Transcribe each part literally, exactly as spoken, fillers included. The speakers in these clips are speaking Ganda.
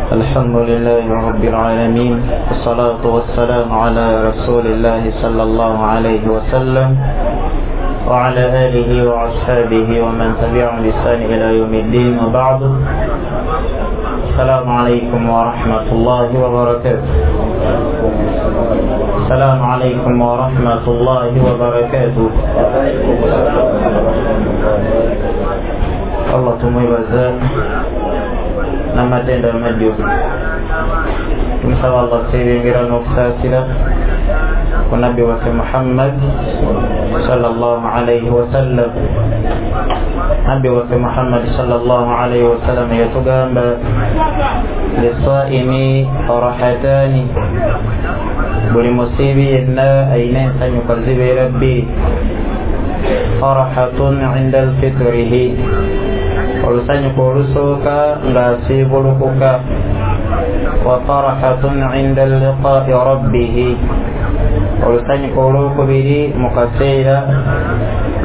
الحمد لله رب العالمين، والصلاة والسلام على رسول الله صلى الله عليه وسلم وعلى آله وأصحابه ومن تبعهم بإحسان إلى يوم الدين، وبعد. السلام عليكم ورحمة الله وبركاته. السلام عليكم ورحمة الله وبركاته. Allah tumwebaza n'amatendo amajjuvu. Tumusaba Allah tusibingira n'okusaasira ku nabbi waffe Muhammad sallallahu alayhi wasallam. Nabbi waffe Muhammad sallallahu alayhi wasallam yatugamba lisaimi farahatani, buli musiibi yenna ayina ensanyuka zibeera bbiri. Farahatun inda alfitrihi, olusanyuka olusooka ng'asiibulukuka, wa farahatun inda liqaai rabbihi, olusanyuka olwokubiri mu kaseera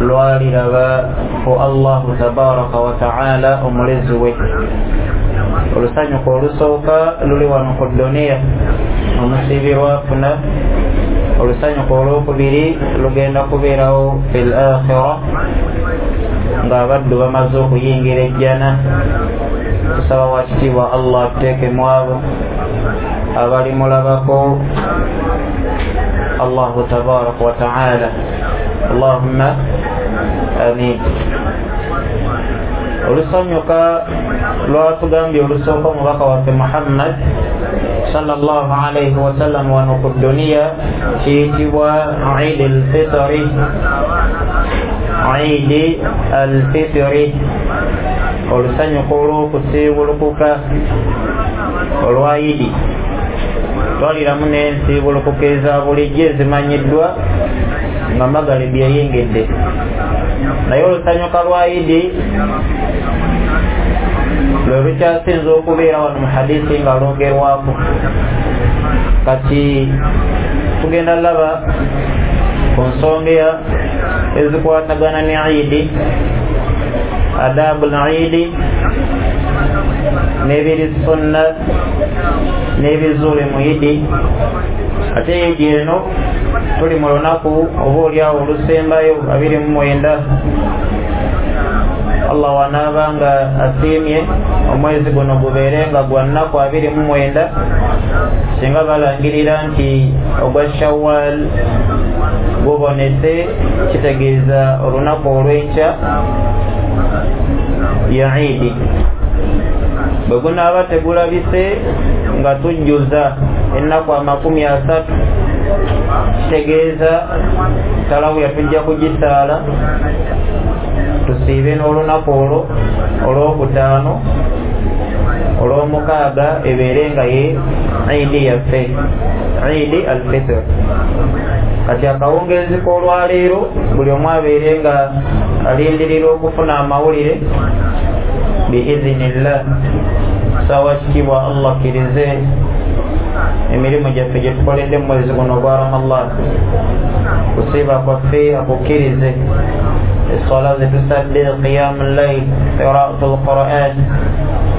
lwaliraba ku Allahu tabaraka wa taala omulezi we. Olusanyuka olusooka luli wano ku duniya omusiibi lwafuna, olusanyuka olwokubiri lugenda kubeerawo fil akhira ng'abaddu bamaze okuyingira ejjana. Tusaba wakitiibwa Allah atuteekemu abo abalimulabako Allahu tabaraka wa taala. Allahumma amin. Olusanyuka lwatugambye olusooka omubaka waffe Muhammad sallallahu alayhi wasallam wano ku duniya kiyitibwa Eid al-Fitri. Eid al-Fitri, olusanyuka olw'okusiibulukuka olwa Idi. Twaliramu n'ensiibulukuka eza bulijjo ezimanyiddwa nga magalibi eyingidde, naye olusanyuka lwa Idi lwe lukyasinze okubeera wano mu hadisi nga lwogerwako. Kati tugenda laba ku nsonga ezikwatagana ne Idi, adabu al-Idi, n'ebiri sunna n'ebizuule mu Idi. Ate Idi eno tuli mu lunaku oba oliawo olusembayo abiri mu mwenda. Allah wanaaba nga asiimye omwezi guno gubeere nga gwa nnaku abiri mu mwenda, singa balangirira nti ogwa Shawwal gubonese, kitegeeza olunaku olw'enkya ya Idi. Bwe gunaaba tegulabise nga tujjuza ennaku amakumi asatu, kitegeeza talawiya tujja kugisaala tusiibe n'olunaku olwo olwokutaano olwomukaaga ebeere nga ye Idi yaffe, Idi al-Fitr. Kati akawungeezi k'olwaleero buli omu abeere nga alindirira okufuna amawulire biizinillah. Sawa kitiibwa Allah akkirize emirimu gyaffe gye tukoledde mu mwezi guno ogwa Ramadan, kusiiba kwaffe akukkirize, eswala zetusadde, qiyamu llail, qiraatu lquran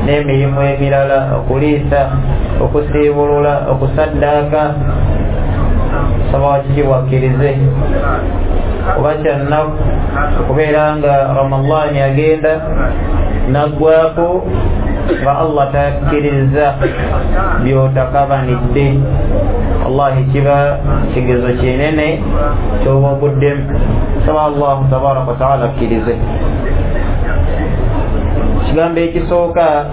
n'emirimu emirala, okuliisa, okusiibulula, okusaddaaka. Saba wakitiibwa akkirize. Oba kyannaku okubeera nga Ramadaani agenda naggwako nga Allah takkiriza by'otakabanidde, wallahi kiba kigezo kinene ky'oba oguddemu. Saba Allahu tabaraka wa taala akkirize. Ekigambo ekisooka,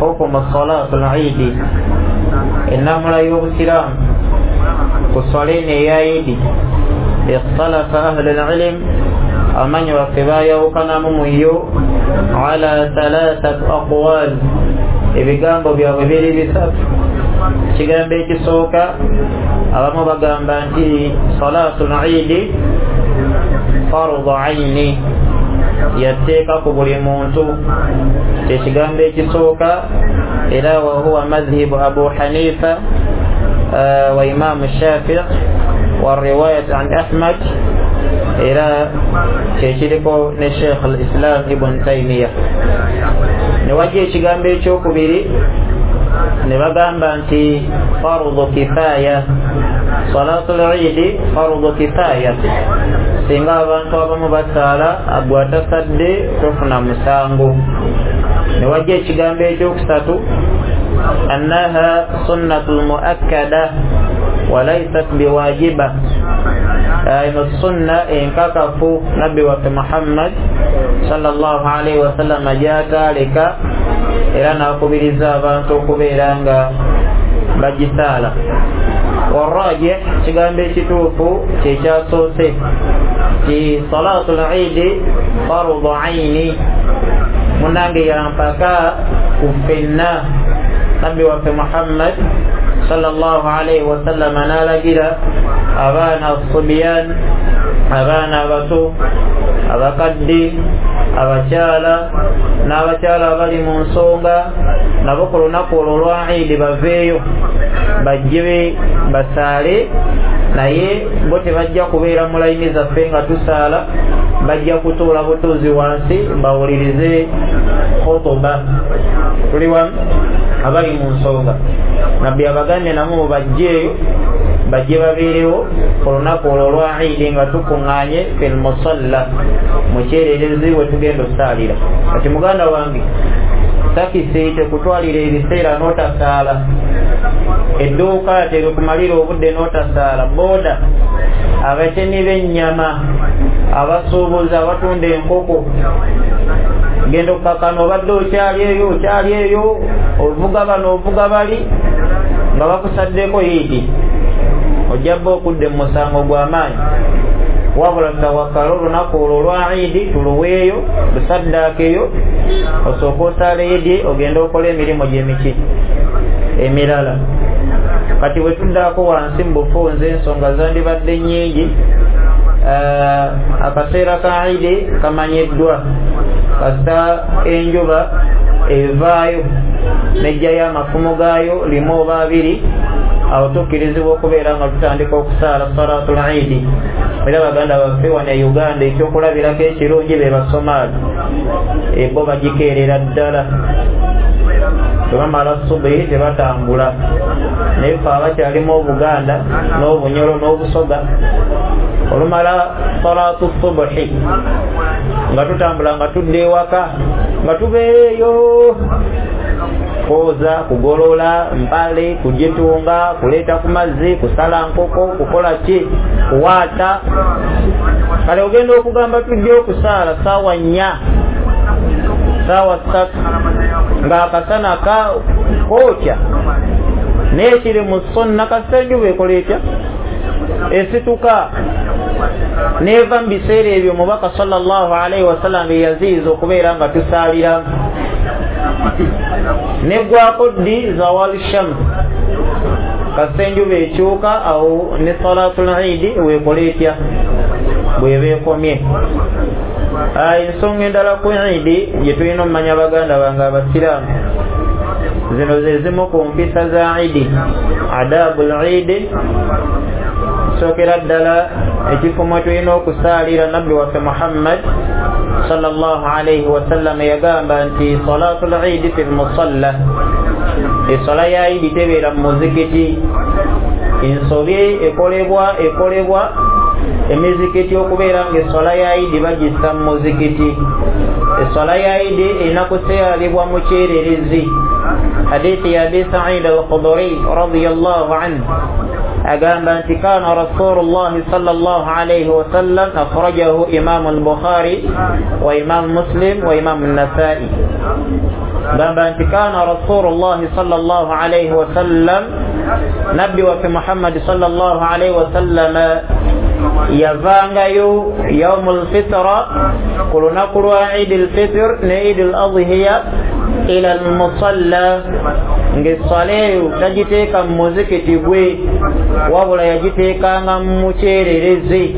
hukumu salatu l-Idi, ennamula y'obusiraamu ku swala eno eya Idi. Ikhtalafa ahlu l-ilm, amanyi baffe baayawukanamu mu yo ala thalathat aqwal, ebigambo byabwe biri bisatu. Ekigambo ekisooka, abamu bagamba nti salatu l-Idi fardu aini, yateeka ku buli muntu. Ekigambo ekisooka era wahuwa madhhibu Abu Hanifa wa Imamu Shafi'i wa riwayat an Ahmad, era kyekiriko ne Sheikh al-Islam Ibn Taymiyyah. Ne wajja ekigambo ekyokubiri Ne bagamba nti fardu kifaya, salatul idi fardu kifaya, singa abantu abamu basaala agwe atasadde tofuna musango. Ne wajja ekigambo ekyokusatu annaha sunnatul muakkada walaysat biwajiba, eno sunna enkakafu nabbi waffe Muhammad sallallahu alaihi wasallam gyataaleka era n'akubiriza abantu okubeera nga bagisaala. Warajih, kigambo ekituufu kyekyasoose ti salatul idi fardu aini, munange yampaka ku ffenna. Nabbi waffe Muhammad sallallahu alaihi wasallam n'alagira abaana asubiyan, abaana abato, abakadde, abakyala n'abakyala abali mu nsonga nabo ku lunaku olwo lwa idi baveeyo bajje basaale, naye bo tebajja kubeera mu layini zaffe nga tusaala, bajja kutuula butuuzi wansi bawulirize khutuba. Tuli wamu abali mu nsonga, nabbi abagambye namwe mubajjeeyo bajje babeerewo ku lunaku olwo lwa idi nga tukuŋŋaanye fil musalla, mu kyererezi we tugenda osaalira. Kati muganda wange, takisi tekutwalira ebiseera n'otasaala, edduuka terikumalira obudde n'otasaala, booda, abatemi b'ennyama, abasuubuzi abatunda enkoko, genda okukakana obadde okyali eyo okyali eyo ovuga bano ovuga bali nga bakusaddeko idi, ojja bba okudda mu musango gw'amaanyi. Wabula tawakala olunaku olwo lwa idi tuluweeyo lusaddaakeyo, osooke osaale idi ogende okola emirimu gy'emiki emirala. Kati bwe tuddaako wansi mu bufunze ensonga zandibadde nnyingi. Akaseera ka idi kamanyiddwa, kasita enjuba evaayo nejjayo amafumu gaayo limu oba abiri, awo tukkirizibwa okubeera nga tutandika okusaala salatul idi. Era baganda baffe wano e Uganda ekyokulabirako ekirungi be Basomaali, bo bagikeerera ddala, tebamala subuhi tebatambula. Naye ffe abakyalimu Obuganda n'Obunyolo n'Obusoga, olumala salatu subuhi nga tutambula nga tudda ewaka nga tubeereeyo kwoza, kugolola mpale, kugitunga, kuleeta ku mazzi, kusala nkoko, kukola ki, kuwaata. Kale ogenda okugamba tujja okusaala saawa nnya, saawa ssatu ng'akasana kookya, naye kiri mu sunna kasita enjuba ekola etya, esituka neva mu biseera ebyo Omubaka sallallahu alaihi wasallam bye yaziyiza okubeera nga tusaaliramu. Neggwako ddi? Zawal shams, kasita enjuba ekyuka awo ne salatul idi weekola etya, bweba ekomye. Ensonga endala ku idi gye tulina okumanya baganda bange abasiraamu, zino ze zimu ku mpisa za idi, adabul idi. Sookera ddala ekifo mwe tulina okusaalira, nabbi waffe Muhammad sallallahu alaihi wasallam yagamba nti salatul idi fil musalla, eswala ya idi tebeera mu muzikiti. Ensobi ekolebwa ekolebwa emizikiti okubeera nga eswala ya idi bagissa mu muzikiti. Eswala ya idi erina kusaalibwa mu kyererezi. Hadithi ya Abi Sa'id al-Khudri radiyallahu anhu agamba nti kana Rasulullah sallallahu alayhi wasallam, akhrajahu Imam al-Bukhari wa Imam Muslim wa Imam an-Nasa'i. Gamba nti kana Rasulullah sallallahu alayhi wasallam, nabbi waffe Muhammad sallallahu alayhi wasallam yavangayo yaumul fitra, ku lunaku lwa Eid al-Fitr ne Eid al-Adhiya ila al-musalla, ng'esswala eyo tagiteeka mu muzikiti gwe, wabula yagiteekanga mu kyererezi,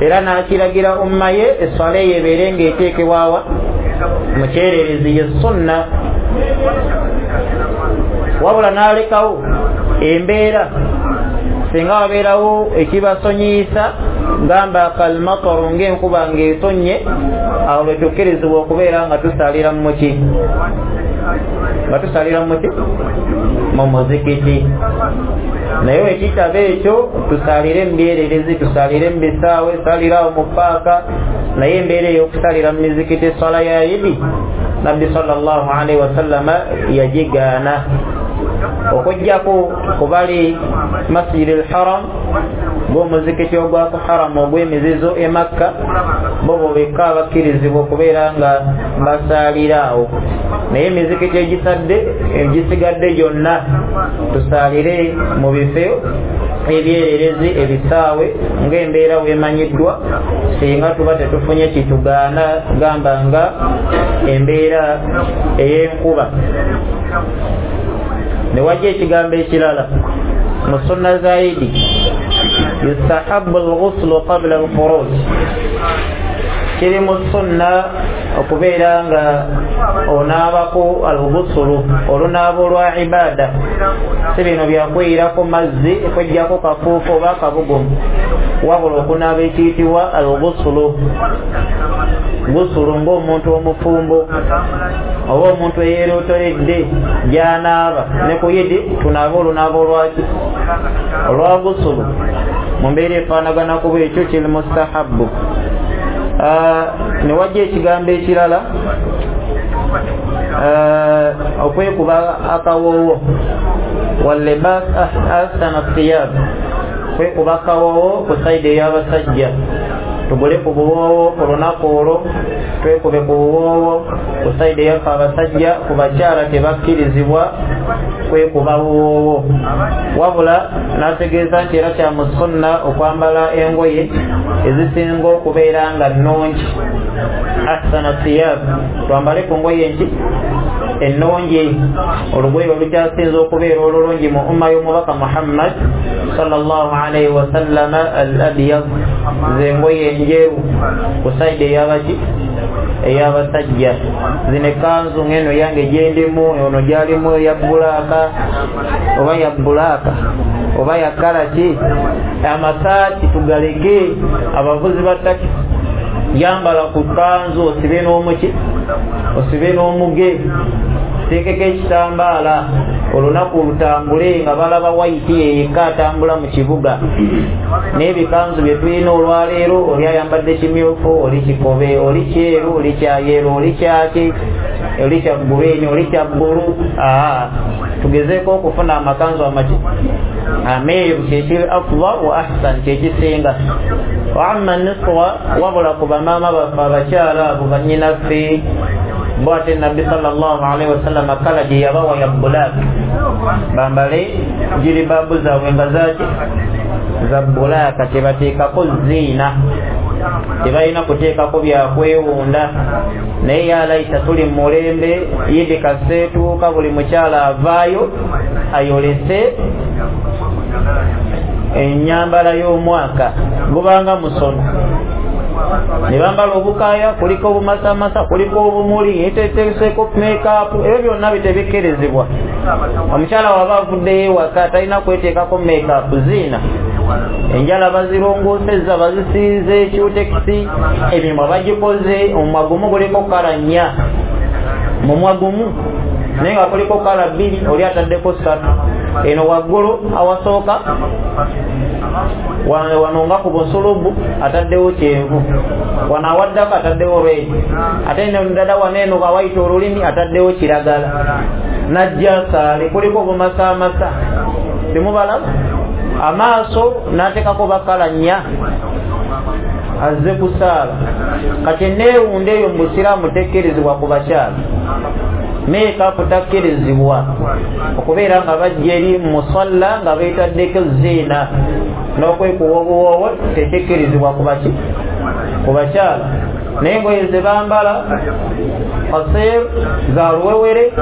era n'akiragira umma ye esswala eyo ebeere ng'eteekebwawa mu kyererezi, ye sunna. Wabula n'alekawo embeera singa wabeerawo ekibasonyiisa, gamba kalmataru, ng'enkuba ng'etonnye, awo lwe tukkirizibwa okubeera nga tusaalira mu ki, Nga tusalira muki mu muzikiti. Naye ekitabo ekyo tusalire mu byererezi, tusalire mu bisaawe, salirawo mu paaka. Naye embeera ey'okusalira mu mizikiti eswala ya Idi, Nabbi sallallahu alaihi wasallama yagigaana, okuggyako kubali Masjid al-Haram, gw'omuzikiti ogwa ku Haram ogw'emizizo e Makka, bo bo bekka abakkirizibwa okubeera nga basaalira awo. Naye emizikiti egisadde egisigadde gyonna tusaalire mu bifo ebyererezi, ebisaawe, ng'embeera weemanyiddwa, singa tuba tetufunye kitugaana, gamba nga embeera ey'enkuba. Ne wajja ekigambo ekirala mu sunna za Idi, yustahabbu al-ghuslu qabla al-khuruj. Kiri mu sunna okubeera nga onaabako al-ghuslu, olunaaba olwa ibada, si bino byakweyirako mazzi kwejjako kafuufu oba akabugumu, wabula okunaaba ekiyitibwa al-ghuslu. Gusulu ng'omuntu omufumbo oba omuntu eyeerootoledde gy'anaaba. Ne ku Idi tunaaba olunaaba olwaki? Olwa gusulu. Mu mbeera efaanagana kuba ekyo kiri mustahabbu. Ne wajja ekigambo ekirala, okwekuba akawoowo, wallibas ahsana thiyab, kwekuba akawoowo ku sayidi ey'abasajja. Tugule ku buwoowo ku lunaku olwo, twekube ku buwoowo ku sayidi eyaffe abasajja. Ku bakyala tebakkirizibwa kwekuba buwoowo, wabula n'ategeeza nti era kya mu sunna okwambala engoye ezisinga okubeera nga nnungi, ahsana thiyab, twambale ku ngoye nki ennungi, olugoye olukyasinze okubeera olulungi mu umma y'omubaka Muhammad sallallahu alaihi wasallama, al-abyad, zengoye enjeru ku sayidi ey'abaki ey'abasajja. Zino ekkanzu ng'eno yange gyendimu, ono gyalimu eya bbulaaka oba ya bbulaaka oba ya kalaki. Amasaati tugaleke, abavuzi ba takisi, yambala ku kkanzu osibe n'omuki osibe n'omuge, teekeko ekitambaala, olunaku lutambule nga balaba wayiti yeyekka atambula mu kibuga. N'ebikanzu bye tulina olwaleero, oli ayambadde kimyufu, oli kikobe, oli kyeru, oli kyayeru, oli kyaki, oli kya gurini, oli kya bbulu. Aa, tugezeeko okufuna amakanzu amaki ameeru, kyekiri afdal wa ahsan, kyekisinga. Wa amma niswa, wabula ku bamaama baffe abakyala abo bannyinaffe, bo ate Nabbi sallallahu alaihi wasallama kala gye yabawa ya bulaaka, bambale jiribaabu zaabwe nga zaki za bulaaka, tebateekako ziina, tebalina kuteekako byakwewunda. Naye yalaita tuli mu mulembe, Idi kaseetuuka, buli mukyala avaayo ayolese ennyambala y'omwaka, gubanga musono. Ne bambala obukaaya, kuliko obumasamasa, kuliko obumuli, eteeseeko make-up, ebyo byonna bitebikkirizibwa. Omukyala waba avuddeyo ewaka talina kweteekako make-up, ziina. Enjala bazirongoosezza, bazisiize ekyutekisi, emimwa bagikoze, omumwa gumu guliko kala nnya, mumwa gumu naye nga kuliko kala bbiri, oli ataddeko ssatu. Eno waggulu awasooka wano nga ku busulubu ataddewo kyenvu, wano awaddako ataddewo red, ate ddala wano eno awayita olulimi ataddewo kiragala, najja saale kuliko obumasaamasa, temubalaba? Amaaso n'ateekako bakala nnya, azze kusaala. Kati enneewunda eyo mu busiraamu tekkirizibwa ku bakyala. Make-up takkirizibwa okubeera nga bajja eri musalla nga beetaddeko ziina, n'okwekuba obuwoowo tekikkirizibwa ku baki ku bakyala. Naye engoye ze bambala qasir za luwewere,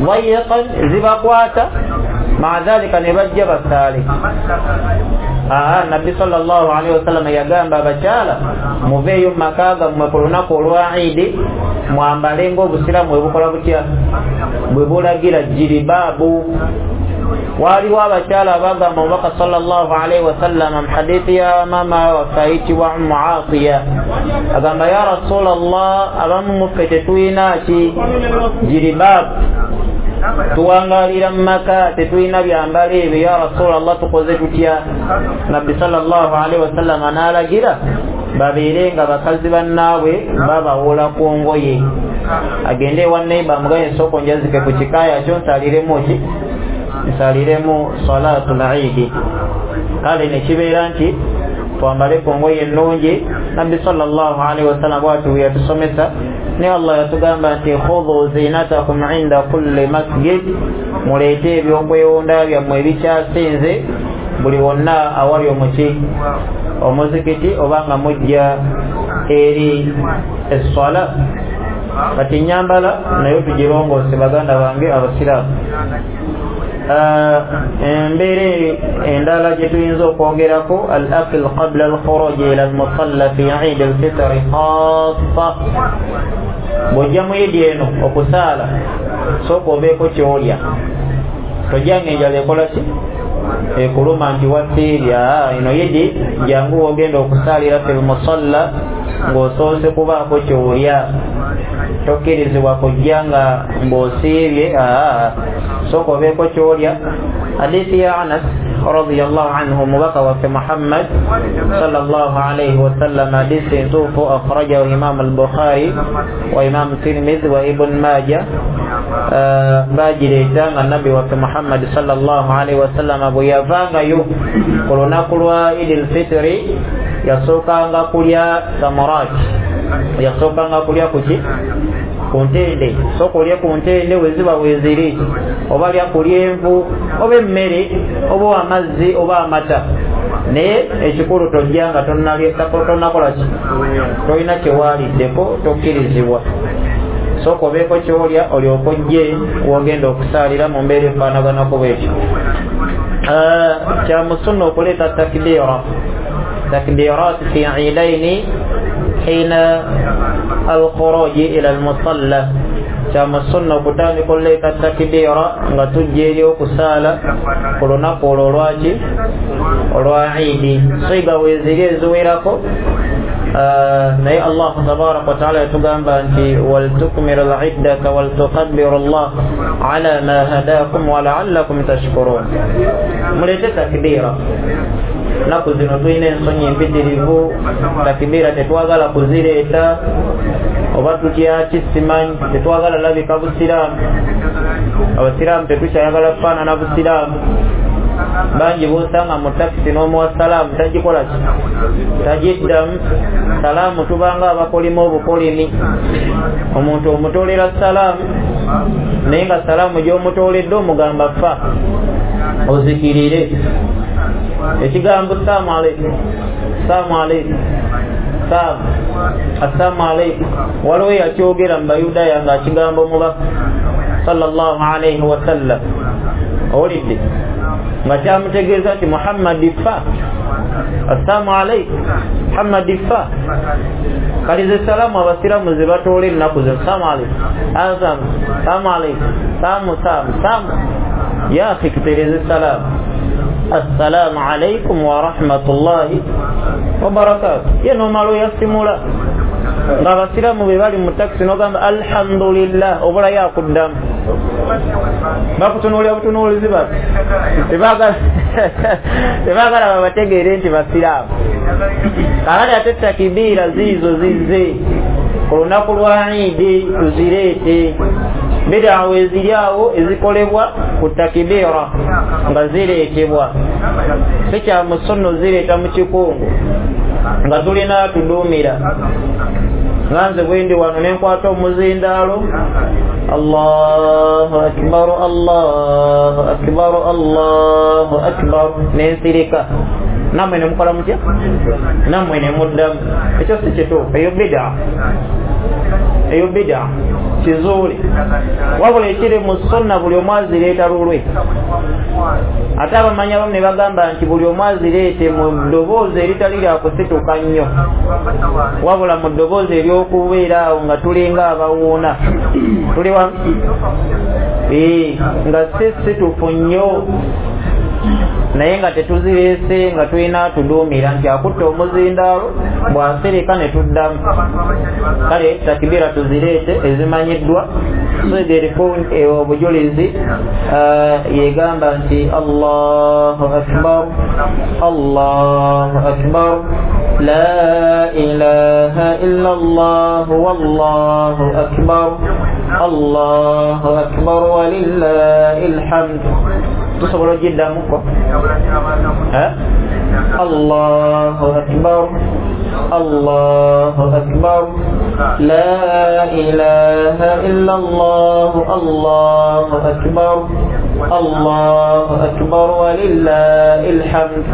dayiqan, zibakwata, maa dhalika ne bajja basaale. Aa, Nabbi sallallahu alaihi wasallam yagamba abakyala muveeyo mu maka gammwe ku lunaku olwa Idi, mwambale ng'obusiraamu bwe bukola butya, bwe bulagira jiribaabu. Waliwo abakyala abagamba omubaka sallallahu alaihi wasallam mu hadithi ya mama waffe ayitibwa Ummu Atiya, agamba ya Rasulallah, abamu muffe tetulina ki jiribaabu, tuwangalira mu maka tetulina byambalo ebyo, ya Rasulallah tukoze tutya? Nabbi sallallahu alaihi wasallam n'alagira babeere nga bakazi bannaabwe babawola ku ngoye, agende ewa neighbor amugaye ensoko njazike ku kikaaya kyo nsaliremu ki nsaliremu salatul Eid. Kale ne kibeera nti twambale ku ngoye ennungi. Nabbi sallallahu alaihi wasallam bw'atyo bwe yatusomesa, ne Allah yatugamba nti khudhu zinatakum inda kulli masjid, muleete ebyokwewunda byammwe ebikyasinze buli wonna awali omuki omuzikiti oba nga mujja eri esswala. Kati nyambala nayo tugirongoose baganda bange abasiraamu. Embeera endala gye tuyinza okwogerako, al akl qabla al khuruj ila al musalla fi Eid al fitr khassa. Bw'ojja mu Eid eno okusaala, sooka obeeko ky'olya, tojja ng'enjala ekola ki ekuluma nti wasiibya. Eno Eid jangu wogenda okusaalira fil musalla ng'osoose kubaako ky'olya, tokkirizibwa kujja nga ng'osiibye, sooka obeeko ky'olya. Hadithi ya Anas radiyallahu anhu, mubaka waffe Muhammad sallallahu alayhi wasallam, hadithi ntuufu akhrajahu Imam al-Bukhari wa Imam Tirmidhi wa Ibn Majah, bagireeta nga nabbi waffe Muhammad sallallahu alayhi wasallam bwe yavangayo ku lunaku lwa Eid al-Fitri yasookanga kulya samurat, yasookanga kulya kuki ku ntende. Sooka olye ku ntende weziba weeziri, oba lya ku lyenvu oba emmere oba amazzi oba amata, naye ekikulu tojja nga tonnakola ki tolina kyewaaliddeko, tokkirizibwa. Sooka obeeko ky'olya olyoke ojje wogenda okusaalira mu mbeera efaanaganako bwetyo. Kya musunna okuleeta takbiira, takbiirat fi iidaini hina alkhuruji ila almusalla. Kya musunna okutandika okuleeta takbiira nga tujja eri okusaala ku lunaku olwo olwaki olwa Eid. Siga weeziri eziwerako, naye Allah tabaraka wa taala yatugamba nti waltukmiru liddata waltukabbiru Allah ala ma hadakum wa la'allakum tashkurun. Muleete takbiira. Nnaku zino tulina ensonyi empitirivu, takbiira tetwagala kuzireeta, oba tutya ki simanyi, tetwagala labika busiraamu. Abasiraamu tetukyayagala kufaanana busiraamu. Bangi b'osanga mu takisi n'omuwa salaamu tagikola ki tagiddamu. Salaamu tubanga abakolima obukolimi, omuntu omutoolera salaamu naye nga salaamu gy'omutooledde omugamba fa ozikirire. Ekigambo salaamu aleikum, salaamu aleikum, salaamu assalaamu aleikum, waliwo eyakyogera mu Bayudaaya ng'akigamba omubaka sallallahu alaihi wasallam, owulidde nga kyamutegeeza nti Muhammadi fa, assalaamu aleikum, Muhammadi fa. Kalize salaamu abasiraamu ze batoola ennaku zino, salaamu aleikum, salaamu, salaamu aleikum, salaamu, salaamu, salaamu. Ya akhi, tutereeze salaamu. Assalaamu alaikum wa rahmatullahi wa barakatuh. Ye n'omala oyasimula ng'abasiraamu be bali mu takisi n'ogamba alhamdulillah, obulayo akuddamu, bakutunuulira butunuulizi bati tebaagala babategeere nti basiraamu. Kakati ate takibiira ziizo zizze ku lunaku lwa Eid, tuzireete. Bid'a eziri awo ezikolebwa ku takibiira nga zireetebwa, si kya musunna zireeta mu kikungu nga tulina tuduumira. Nga nze bwe ndi wano ne nkwata omuzindaalo, Allahu akbar, Allahu akbar, Allahu akbar, ne nsirika, nammwe ne mukola mutya? Nammwe ne muddamu. Ekyo si kituufu, eyo bid'a. Eyo bida kizuule. Wabula ekiri mu sunna buli omu azireeta lulwe. Ate abamanyi abamu ne bagamba nti buli omu azireete mu ddoboozi eritali lya kusituka nnyo, wabula mu ddoboozi ery'okubeera awo nga tulinga abawuuna, tuli wamu nga si situfu nnyo, naye nga tetuzireese nga tulina tuduumira nti akutte omuzindaalo bw'asirika ne tuddamu. Kale takibira tuzireete ezimanyiddwa. So eriko obujulizi yegamba nti Allahu akbar, Allahu akbar, la ilaha illa Allah, wallahu akbar, Allahu akbar walillahil hamd. Tusobola ogiddamuko? Allahu akbar, Allahu akbar, la ilaha illa Allah, Allahu akbar, Allahu akbar walillahil hamd.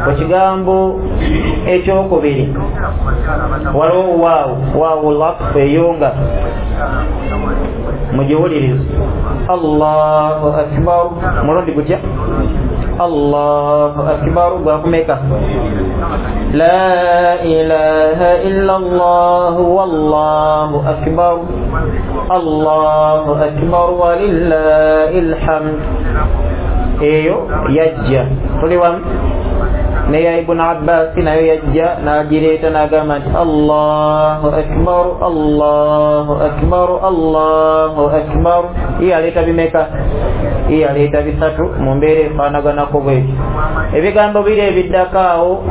Ekigambo ekyokubiri waliwo waawu, waawu laqfu eyo nga mugiwulirize. Allahu akbar mulundi gutya? Allahu akbar gwakumeka? La ilaha illa Allah, wallahu akbar, Allahu akbar walillahil hamd. Eyo yajja tuli wamu neya Ibn Abbas nayo yajja n'agireeta n'agamba nti Allahu akbar, Allahu akbar, Allahu akbar. Ye aleeta bimeka? Ye aleeta bisatu mu mbeera efaanaganako bwetyo. Ebigambo biri ebiddako awo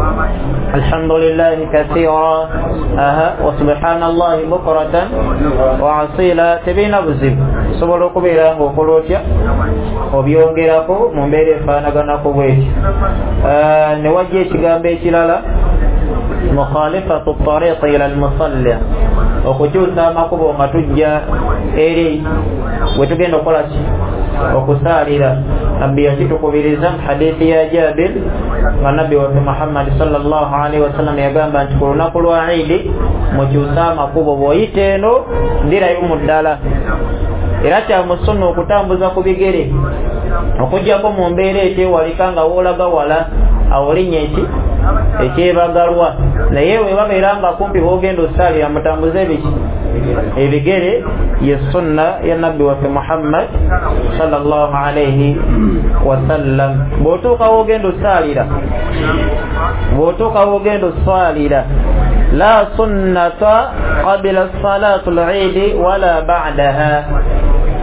alhamdulillahi kathira, aha, wa subhanallahi bukratan wa asila, tebirina buzibu, osobola okubeera ng'okola otya obyongerako mu mbeera efaanaganako bwetyo. Ne wajja ekigambo ekirala mukhalifatu tariqi ila almusalla, okukyusa amakubo nga tujja eri we tugenda okukola ki? Okusaalira. Nabbi yakitukubiriza mu hadithi ya Jabir nga nabbi waffe Muhammad sallallahu alaihi wasallam yagamba nti ku lunaku lwa Idi mukyuse amakubo, bw'oyita eno ndirayo mu ddala. Era kya mu sunna okutambuza ku bigere, okuggyako mu mbeera ekyewalika nga woolaga wala awo linnya eki ekyebagalwa, naye we babeera nga kumpi bw'ogenda osaalira mutambuze ebiki? Ebigere. Ye sunna ya nabbi waffe Muhammad sallallahu alaihi wasallam. Bw'otuuka w'ogenda osaalira, bw'otuuka w'ogenda osaalira, la sunnata qabla salatu al-eid wala ba'daha,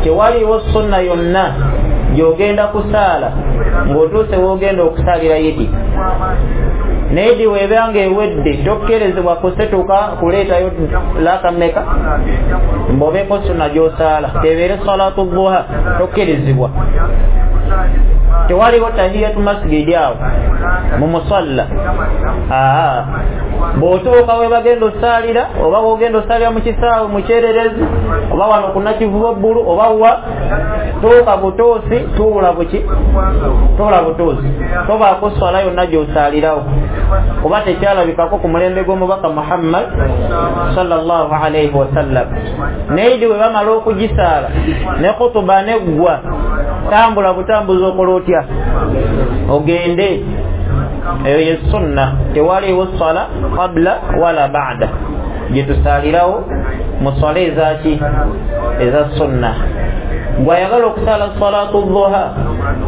tewaliwo sunna yonna gy'ogenda kusaala ng'otuuse w'ogenda okusaalira Idi. Naye Idi bw'eba ng'ewedde tokkerezebwa kusetuka kuleetayo laaka mmeka mb'obeeko sunna gy'osaala, tebeere salatu duha, tokkerezebwa. Tewaliwo tahiyatu masgidi awo mu musalla. Aa, bw'otuuka we bagenda osaalira, oba w'ogenda osaalira mu kisaawe mu kyererezi, oba wano ku Nakivubo Bbulu, oba wa, tuuka butuusi, tuula buki? Tuula butuusi, tobaako swala yonna gy'osaalirawo, kuba tekyalabikako ku mulembe gw'omubaka Muhammad sallallahu alaihi wasallam. Naye Idi bwe bamala okugisaala ne khutuba neggwa, tambula butambuzi okola otya? Ogende. Eyo ye sunna, tewaliwo swala qabla wala ba'da gyetusaalirawo mu swala ezaki? Eza sunna. Bw'ayagala okusaala salatu duha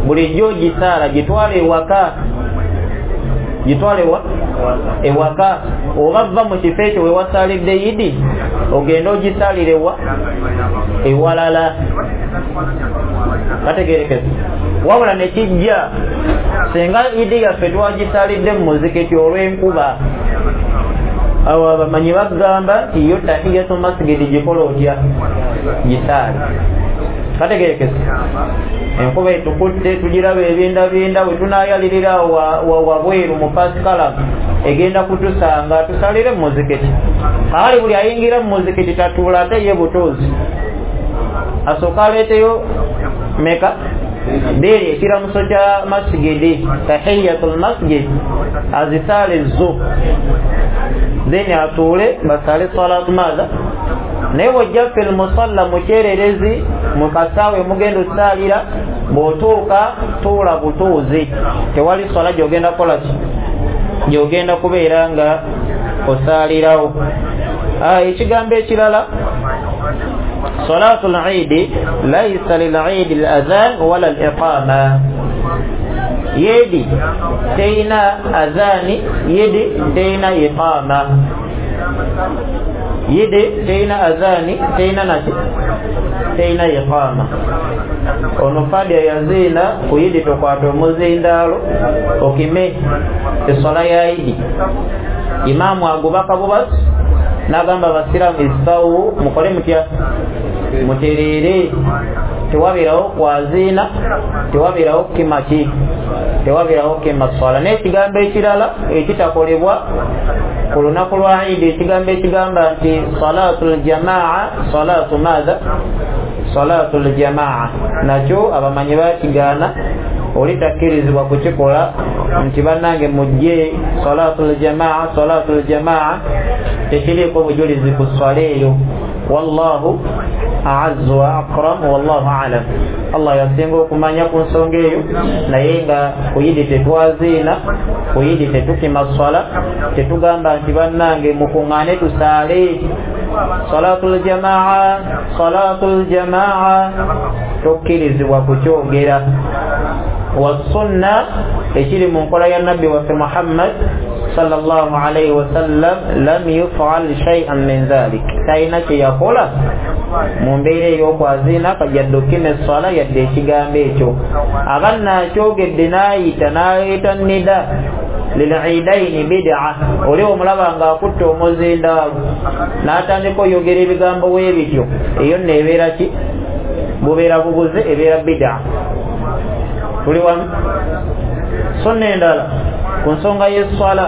bulijjo ogisaala, gitwale ewaka, gitwale ewa ewaka, oba va mu kifo ekyo we wasaalidde Idi ogende ogisaalire ewa ewalala. Kategerekese. Wabula ne kijja singa Idi yaffe twagisaalidde mu muzikiti olw'enkuba, awo abamanyi bagamba nti yo tahiyatu masgidi gikola otya? Gisaale. Kategerekese. Enkuba etukutte tugiraba ebindabinda, bwe tunaayalirira wabweru mu pasikalamu egenda kutusanga, tusalire mu muzikiti. Kale buli ayingira mu muzikiti tatuula ate ye butuuzi, asooka aleeteyo meka bbiri, ekiramuso kya masgidi tahiyatul masjid, azisaale zo, then atuule basaale salatu maatha Naye bw'ojja fil musalla, mu kyererezi, mu kasaawe mugenda osaalira, bw'otuuka tuula butuuzi, tewali swala gy'ogenda kukola ki, gy'ogenda kubeera nga osaalirawo. Ekigambo ekirala, salatul idi laisa lil idi al adhan wala al iqama. Yidi teina adhani, yidi teina iqama. Yidi teina adhani, teina naki, teina iqama. Ono fadia yazina ku yidi tokwata omuzindaalo okime eswala ya idi. Imaamu agubaka bubasi n'agamba abasiraamu istawu, mukole mutya, mutereere. Tewabeerawo kwaziina, tewabeerawo kukima ki, tewabeerawo kukima swala. N'ekigambo ekirala ekitakolebwa ku lunaku lwa idi, ekigambo ekigamba nti salatul jamaa, salatu maatha, salatul jamaa, nakyo abamanyi bakigaana, oli takkirizibwa kukikola nti bannange mujje salatul jamaa, salatul jamaa, tekiriiko bujulizi ku swala eyo. Wallahu a'azzu wa akram, wallahu a'lam. Allah yasinga okumanya ku nsonga eyo, naye nga ku idi tetwaziina, ku idi tetukima swala, tetugamba nti bannange mukuŋŋaane tusaale salatul jamaa, salatul jamaa, tokkirizibwa kukyogera. Wasunna, ekiri mu nkola ya nabbi waffe Muhammad sallallahu alayhi wasallam, lam yufal shay'an min dhalik, talina kye yakola mu mbeera ey'okwaziina yadde okukima esswala yadde ekigambo ekyo. Aba naakyogedde n'ayita n'aleeta nida lil-iidaini bid'a, oli omulaba ng'akutte omuzindaalo n'atandika oyogera ebigambo bwe bityo, eyo nno ebeera ki, bubeera bubuze, ebeera bid'a. Tuli wamu? Sunna endala ku nsonga y'esswala,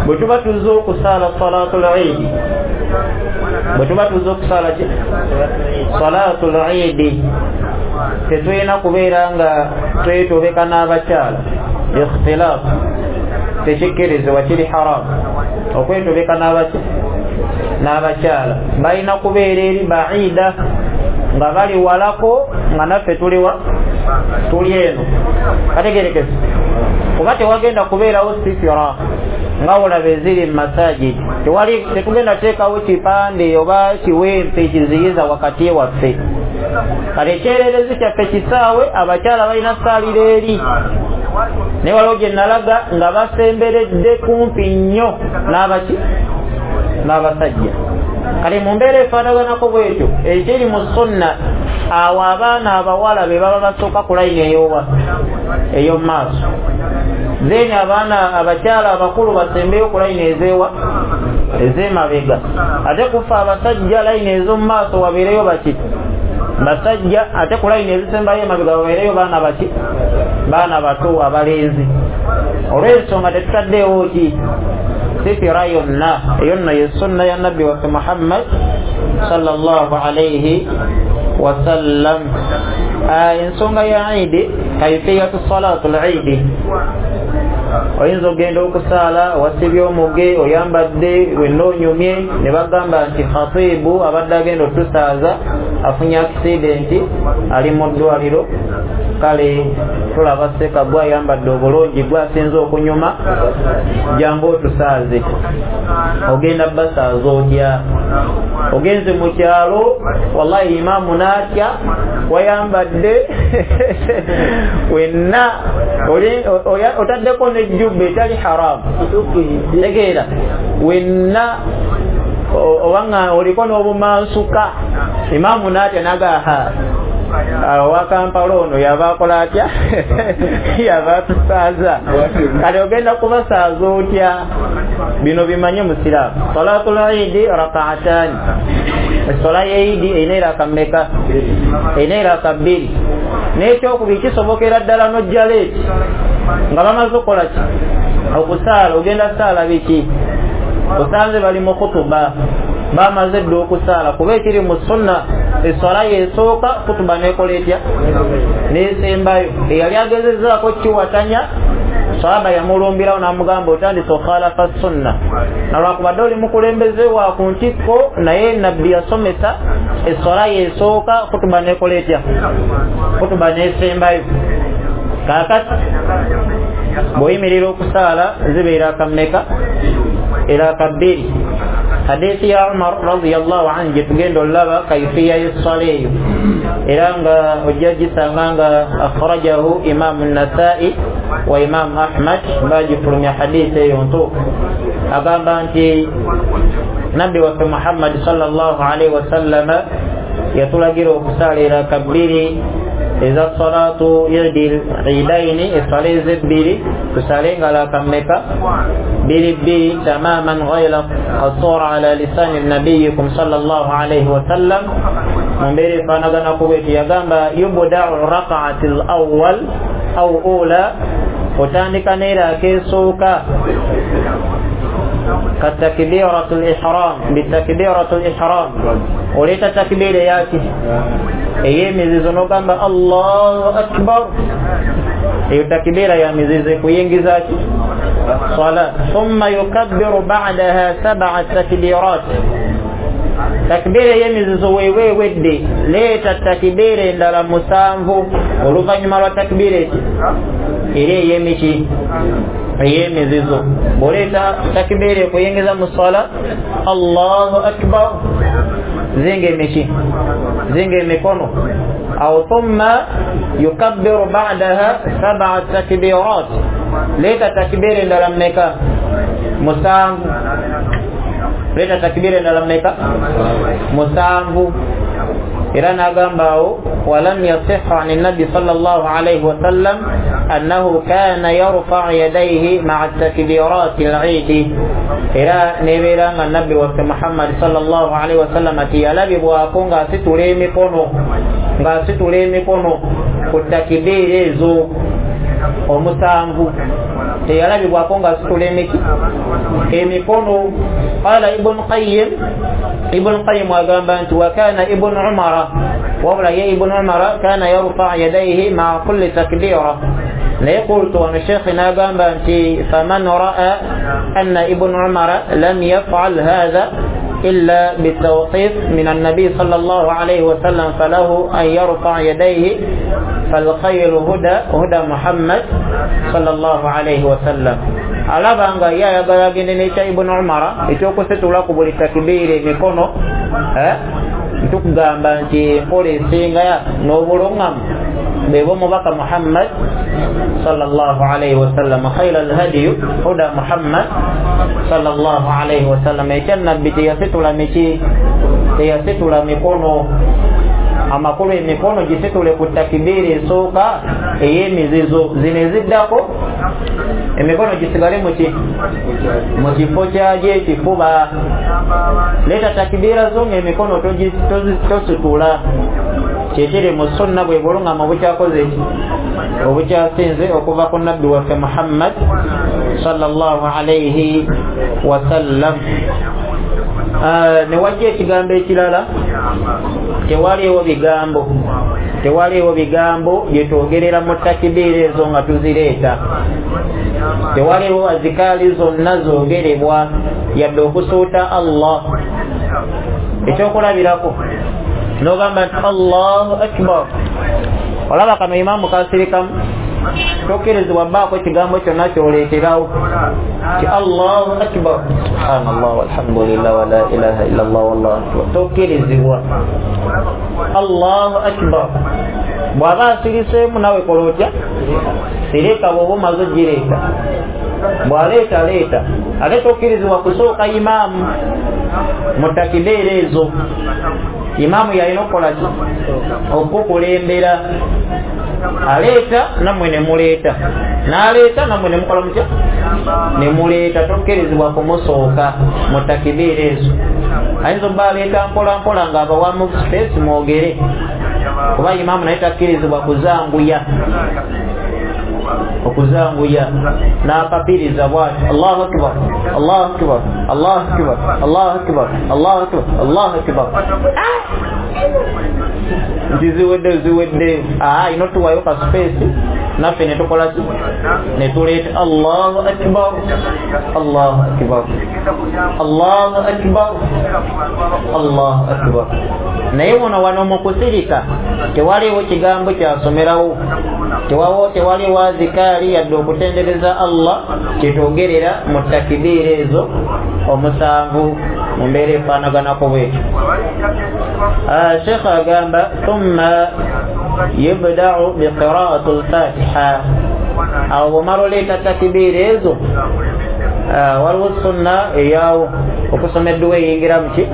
bwe tuba tuzze okusaala salatul idi, bwe tuba tuzze okusaala ki, salatul idi, tetulina kubeera nga twetobeka n'abakyala. Ikhtilaaf tekikkirizibwa, kiri haramu okwetobeka n'abaki n'abakyala. Balina kubeera eri baida, nga bali walako, nga naffe tuliwa, tuli eno. Kategerekese, kuba tewagenda kubeerawo sitira nga olaba eziri mu masajidi, tewali, tetugenda teekawo kipande oba kiwempe kiziyiza wakati waffe. Kale ekyererezi kyaffe kisaawe, abakyala balina saalira eri, naye waliwo gye nalaga nga basemberedde kumpi nnyo n'abaki n'abasajja. Kale mu mbeera efaanaganako bwetyo, ekiri mu sunna, awo abaana abawala be baba basooka ku layini eyowa ey'omu maaso, then abaana abakyala abakulu basembeyo ku layini ezeewa ez'emabega. Ate kufa abasajja layini ez'omu maaso wabeereyo baki, basajja, ate ku layini ezisembayo emabega wabeereyo baana baki, baana bato abalenzi. Olw'ensonga tetutaddeewo ki sitira yonna, eyo nno ye sunna ya nabbi waffe Muhammad sallallahu alayhi wasallam. Ensonga ya idi, kaifiyatu salatul idi, oyinza ogenda okusaala wasibye omuge, oyambadde wenna onyumye, ne bagamba nti khatibu abadde agenda otusaaza afunye akisidenti, ali mu ddwaliro, kale tulaba seka gwe ayambadde obulungi, gwe asinze okunyuma, jangu otusaaze. Ogenda basaaza otya? Ogenze mu kyalo, wallahi imaamu n'atya, wayambadde wenna otaddeko n'ejjubba etali haramu, tegeera, wenna obanga oliko n'obumansuka, imaamu n'atya n'agaha owa Kampala ono yaba akola atya, yaba atusaaza. Kale ogenda kubasaaza otya? Bino bimanye musiraamu. Salatul idi rakaatani, essola y'eidi erina eraka mmeka? Erina eraka bbiri. N'ekyokubiri kisobokera ddala n'ojja leeti nga bamaze okukola ki, okusaala. Ogenda saala biki? Osanze bali mu khutuba, bamaze dda okusaala, kuba ekiri mu sunna eswala yesooka kutuba nekola etya nesembayo. Eyali agezezzaako kiwatanya Sahaba yamulumbirawo n'amugamba otandise okhalafa sunna, nalwakubadde oli mukulembeze wa ku ntikko, naye nabbi yasomesa eswala yesooka kutuba nekola etya, kutuba nesembayo. Kaakati bw'oyimirira okusaala zibeera akammeka? Era akabbiri. Hadithi ya Umar radiyallahu anhu gye tugenda olaba kaifiya y'esswala eyo, era nga ojja gisanga nga akhrajahu Imamu Nasai wa Imamu Ahmad, bagifulumya hadithi eyo ntuufu. Agamba nti nabbi waffe Muhammad sallallahu alaihi wasallama yatulagira okusaala eraka bbiri eza salatu idi idaini, eswala ezebbiri tusale nga raka mmeka? Bbiri bbiri, tamaman ghayra qasura ala lisani nabiyikum sallallahu alaihi wasallam. Mu mbeera efaanagana bweti yagamba yubdau rakaati l awwal au ula, otandika n'eraka esooka katakbiratu lihram, bitakbiratu lihram, oleeta takbira eyaki ey'emizizo n'ogamba Allahu akbar. Eyo takbira ya mizizo ekuyingiza ki? Swala. Thumma yukabbiru ba'daha sab'a takbirat, takbira ey'emizizo weewe ewedde, leeta takbira endala musanvu oluvannyuma lwa takbira eki era ey'emiki ey'emizizo. Bw'oleeta takbira ekuyingiza mu swala Allahu akbar, zinga emiki, zinga emikono awo. Thumma yukabbiru ba'daha sab'a takbirat, leeta takbira endala mmeka? Musanvu. Leeta takbira endala mmeka? Musanvu. Era n'agamba awo walam yasihha ani nabbi sallallahu alayhi wasallam annahu kana yarfa'u yadayhi ma'a takbirati al-eid. Era nebeera nga nabbi waffe Muhammad sallallahu alayhi wasallam teyalabibwako ng'asitula emikono, ng'asitula emikono ku takbiira ezo omusanvu, teyalabibwako ng'asitula emiki emikono. Qala Ibn Qayyim, Ibn Qayyim agamba nti wa kana Ibn Umara, wabula ye Ibn Umara kana yarfa yadayhi ma'a kulli takbira. Naye qultu, wano sheikh n'agamba nti faman ra'a anna Ibn Umara lam yaf'al hadha illa bitawqif min an-nabi sallallahu alayhi wa sallam falahu an yarfa yadayhi falkhayru huda huda Muhammad sallallahu alayhi wa sallam. Alaba nga ye ayagala agende n'ekya Ibn Umara ekyokusitula ku buli takbiira emikono, eh, ntukugamba nti enkola esinga n'obulungamu bwe bw'omubaka Muhammad sallallahu alayhi wasallam. Khayra alhadiyu huda Muhammad sallallahu alayhi wasallam. Ekya nabbi teyasitula miki, teyasitula mikono. Amakulu emikono gisitule ku takbiira esooka ey'emizizo, zino eziddako emikono gisigale muki mu kifo kyagyo ekifuba. Leeta takbiira zo ng'emikono tositula. Kyekiri mu sunna bwe bulungama obukyakoze ki obukyasinze okuva ku nabbi waffe Muhammad sallallahu alayhi wasallam. Ne wajja ekigambo ekirala, tewaliwo bigambo, tewaliwo bigambo byetwogerera mu takbiira ezo nga tuzireeta. Tewaliwo azikaali zonna zoogerebwa yadde okusuuta Allah. Ekyokulabirako n'ogamba nti Allahu akbar, olaba kano imaamu kasirikamu, tokkirizibwa bbaako ekigambo kyonna kyoleeterawo ti Allahu akbar, subhanallah walhamdulillah wala ilaha illallah wallahu akbar, tokkirizibwa. Allahu akbar bw'aba asiriseemu nawe kola otya? Sirika bw'oba omaze ogireeta, bw'aleeta leeta, ate tokkirizibwa kusooka imaamu mu takibiira ezo. Imaamu yalina okukola ki? Okukulembera. Aleeta nammwe ne muleeta, n'aleeta nammwe ne mukola mutya? Ne muleeta. Tokkirizibwa kumusooka mu takibiira ezo. Ayinza obba aleeta mpola mpola ng'abawamu space mwogere, kuba imaamu naye takkirizibwa kuzanguya, okuzanguya n'apapiriza bw'ati Allahu akbar, Allahu akbar, Allahu akbar, Allahu akbar, Allahu akbar, Allahu akbar. Nti ziwedde ziwedde, aa ino tuwayo ka space Naffe ne tukola ki? Ne tuleeta Allahu akbar, Allahu akbar, Allahu akbar, Allahu akbar. Naye wano wano mu kusirika tewaliwo kigambo kyasomerawo, tewawo tewaliwo azikaari yadde okutendereza Allah kyetwogerera mu takibiira ezo omusanvu mu mbeera efaanaganako bwetyo. Sheikh agamba thumma yubda'u biqira'ati al-Fatiha. Awo bw'omala oleeta takibiira ezo, waliwo sunna eyawo okusoma edduwa eyingira muki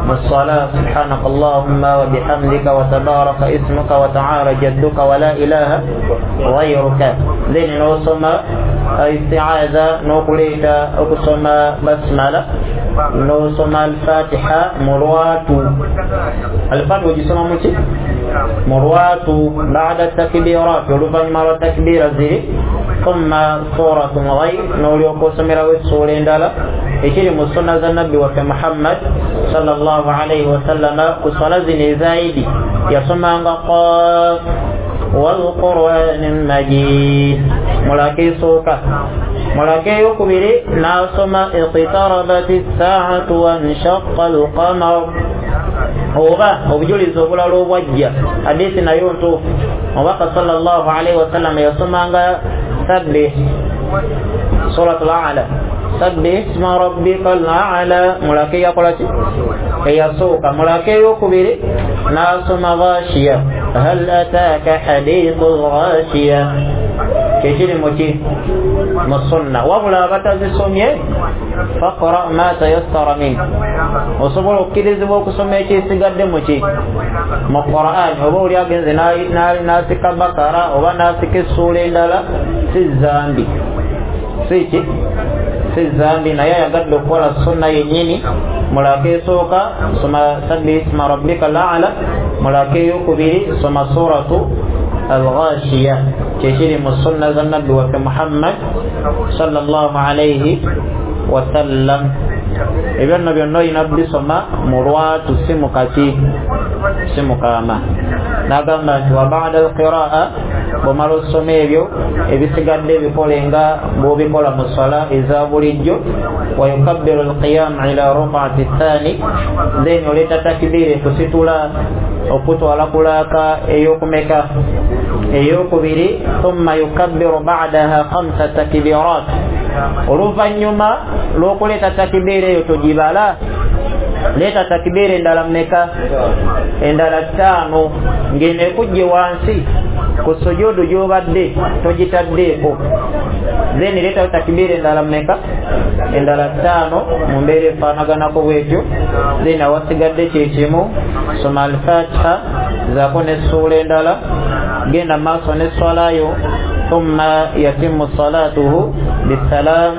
mu ssala, subhanaka allahumma wa bihamdika wa tabaraka ismuka wa ta'ala jadduka wa la ilaha ghayruka. Then n'osoma isti'aza n'okuleeta okusoma basmala n'osoma al-Fatiha mu lwatu. Al-Fatiha ogisoma muki? Mu lwatu ba'da takbirat, oluvannyuma lwa takbira ziri. Thumma suratun ghayr, n'olyoka osomerawo essuula endala ekiri mu sunna za nabbi waffe Muhammad sallallahu alayhi wasallama. Ku swala zino eza Idi yasomanga Qaf wal Qur'anil Majid mulaka esooka, mulaka eyokubiri n'asoma iqtarabat as-sa'atu wanshaqqa al-qamar. Oba obujulizi obulala obwajja, hadithi nayo ntuufu, omubaka sallallahu alayhi wasallama yasomanga sabbih suratul A'la, sabbih isma rabbikal a'la mulaka eyakola ki? Eyasooka. Mulaka eyokubiri n'asoma Ghashiya, hal ataka hadithul ghashiya, kyekiri muki? Mu sunna. Wabula abatazisomye faqra ma tayassara min, osobola okukkirizibwa okusoma ekisigadde muki? Mu Qur'an. Oba oli agenze n'asika Bakara oba n'asika essuula endala, si zambi, si ki? Si zambi. Naye ayagadde okukola sunna yennyini, mulaka esooka soma sabbih isma rabbikal a'la, mulaka eyokubiri soma suratu al-Ghashiya, kyekiri mu sunna za nabbi waffe Muhammad sallallahu alayhi wasallam. Ebyo nno byonna olina bisoma mu lwatu, si mu kaki, si mu kaama. N'agamba nti wa ba'da al-qira'a, bw'omala osoma ebyo ebisigadde ebikole nga bw'obikola mu swala eza bulijjo. Wa yukabbiru al-qiyam ila ruk'ati thani, then oleeta takbiira ekusitula okutwala kulaaka ey'okumeka? Ey'okubiri. Thumma yukabbiru ba'daha khamsa takbirat, oluvannyuma lw'okuleeta takibiira eyo togibala, leeta takibiira endala mmeka? Endala ttaano, ng'eno ekujje wansi ku sujudu gy'obadde togitaddeeko. Then leeta takibiira endala mmeka? Endala ttaano mu mbeera efaanaganako bwetyo. Then awasigadde kye kimu, soma al-Fatiha zaako n'essuula endala, genda maaso n'esswalayo. Thumma yatimmu salatuhu bisalam,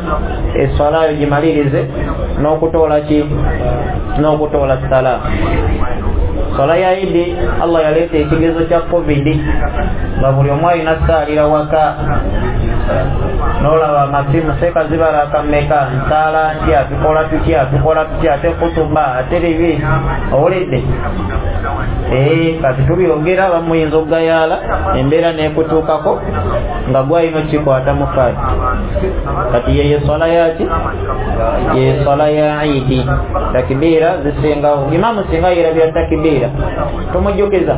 esswalayo gimalirize n'okutoola ki? N'okutoola salaam. Swala ya Idi Allah yaleeta ekigezo kya Covid nga buli omu alina ssaalira waka, n'olaba amasimu seeka zibala akameka, nsaala ntya, tukola tutya, tukola tutya, ate kutuba ate bibi, owulidde? Ee, kati tubyogera bamuyinza okugayaala embeera n'ekutuukako nga gwalina okikwata mu faati. Kati yeyo swala yaki? Yeyo swala ya Idi. Takibiira zisingawo. Imaamu singa yerabira takibiira tumujjukiza,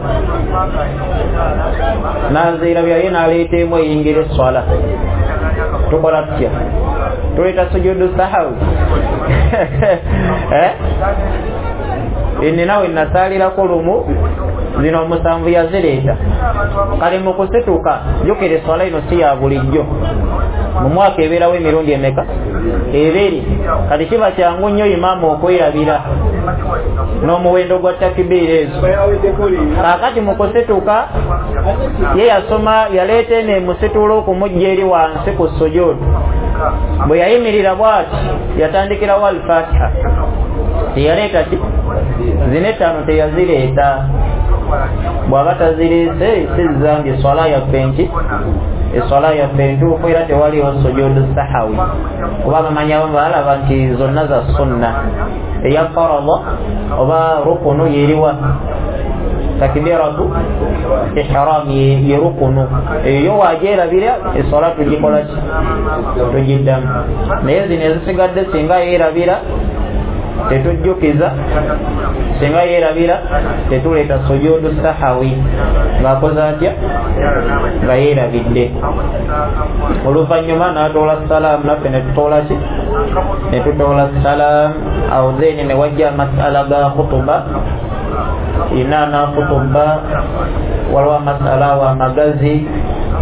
nazeerabira ye n'aleeta emu eyingira esswala, tukola tutya? Tuleeta sujudu sahawi. Ninawe nasaalirako lumu, zino omusanvu yazireeta. Kale mu kusituka jjukira esswala ino si ya bulijjo, mu mwaka ebeerawo emirundi emeka? Ebiri. Kati kiba kyangu nnyo imaamu okwerabira n'omuwendo gwa takibiira ezo. Kaakati mu kusituka ye yasoma, yaleeta eno emusitula okumujja eri wansi ku sujudu. Bwe yayimirira bw'ati yatandikirawo al-Fatiha, teyaleeta ki? Zino ettaano teyazireeta. Bw'aba tazireese si zambi, eswala yaffe nki? Eswala yaffe ntuufu, era tewaliwo sujudu sahawi, kuba bamanyi abamu balaba nti zonna za sunna. Eya farada oba rukunu yeriwa? Takbiratu ihram ye rukunu eyo wagyerabira eswala tugikola ki? Tugiddamu. Naye zino ezisigadde singa yeerabira tetujjukiza, singa yeerabira tetuleeta sujudu sahawi ng'akoze atya? Nga yeerabidde. Oluvannyuma n'atoola salaamu, naffe ne tutoola ki? Ne tutoola salaamu. Awo then ne wajja amasala ga khutuba inaana khutuba, waliwo amasala awo amagazi.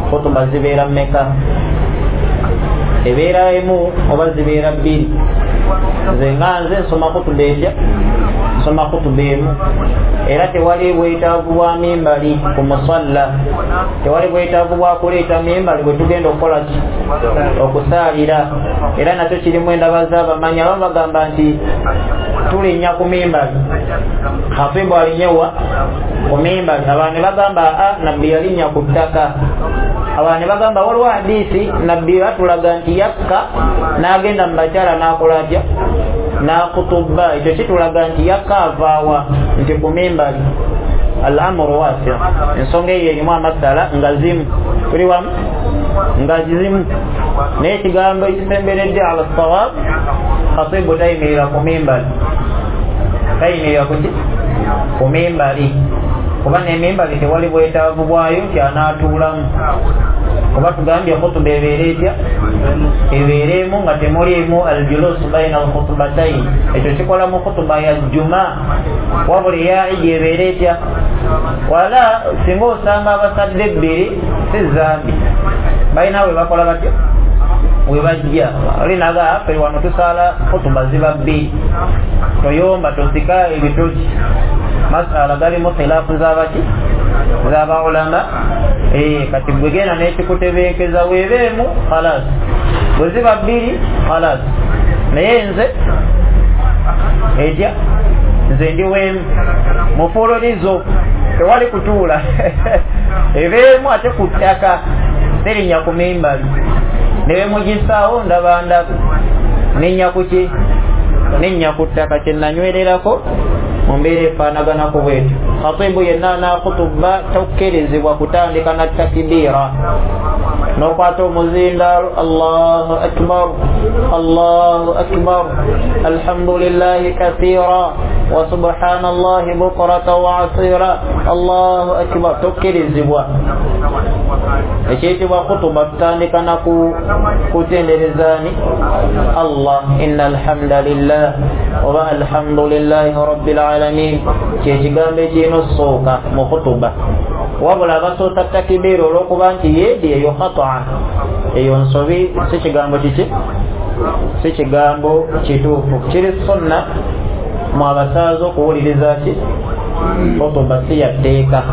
Khutuba zibeera mmeka? Ebeera emu oba zibeera bbiri? Nze nga nze nsoma khutuba etya? Nsoma khutuba emu. Era tewali bwetaavu bwa mimbali ku musalla, tewali bwetaavu bwa kuleeta mimbali bwe tugenda okukola ki? Okusaalira. Era nakyo kirimu endaba z'abamanyi. Abamu bagamba nti tulinnya ku mimbali, khatibu alinyewa ku mimbali. Abalala ne bagamba a nabbi yalinnya ku ttaka. Abalala ne bagamba waliwo hadisi nabbi batulaga nti yakka n'agenda mu bakyala n'akola atya? N'akutuba. Ekyo kitulaga nti yakka avaawa nti ku mimbali. Al-amru wasi', ensonga eyo erimu amasala nga zimu, tuli wamu nga zimu. Naye ekigambo ekisemberedde ala sawab, khatibu tayimirira ku mimbali, tayimirira kuki? Ku mimbali. Kuba n'emimbali tewali bwetaavu bwayo nti anaatuulamu. Kuba tugambye khutuba ebeera etya? Ebeera emu nga temuliimu aljulusu baina alkhutubatain. Ekyo kikola mu khutuba ya juma. Wabula eya idi ebeera etya? Wala singa osanga abasadde ebbiri si zambi, balina we bakola batya? We bajja olinaga ffe wano tusaala khutuba ziba bbiri, toyomba tosika ebitoki. Masala galimu khilaafu z'abaki? Z'abaulama. Kati gwe genda n'ekikutebenkeza weebeemu khalas, bwe ziba bbiri khalas. Naye nze etya? Nze ndi weemu mufuulolizo, tewali kutuula ebeemu ate ku ttaka, terinnya ku mimbali. Ne bwe mugisaawo ndaba ndabe, ninnya ku ki? Ninnya ku ttaka. Kye nanywererako mu mbeera efaanaganako bwetyo. Khatibu yenna anaakutuba tokkirizibwa kutandika na takbiira n'okwata omuzindaalo Allahu akbar Allahu akbar alhamdulillahi kathira wa subhanallahi bukrata wa asira Allahu akbar, tokkirizibwa. Ekiyitibwa khutuba tutandika na kutenderezaani Allah, inna alhamdulillah oba alhamdulillahi rabbil alamin, kyekigambo ekirina okusooka mu khutuba. Wabula abasoosa takibiira olw'okuba nti yeedi eyo khata'a, eyo nsobi, si kigambo kiki? Si kigambo kituufu. Kiri sunna mu abasaaza okuwuliriza ki? Khutuba si ya tteeka.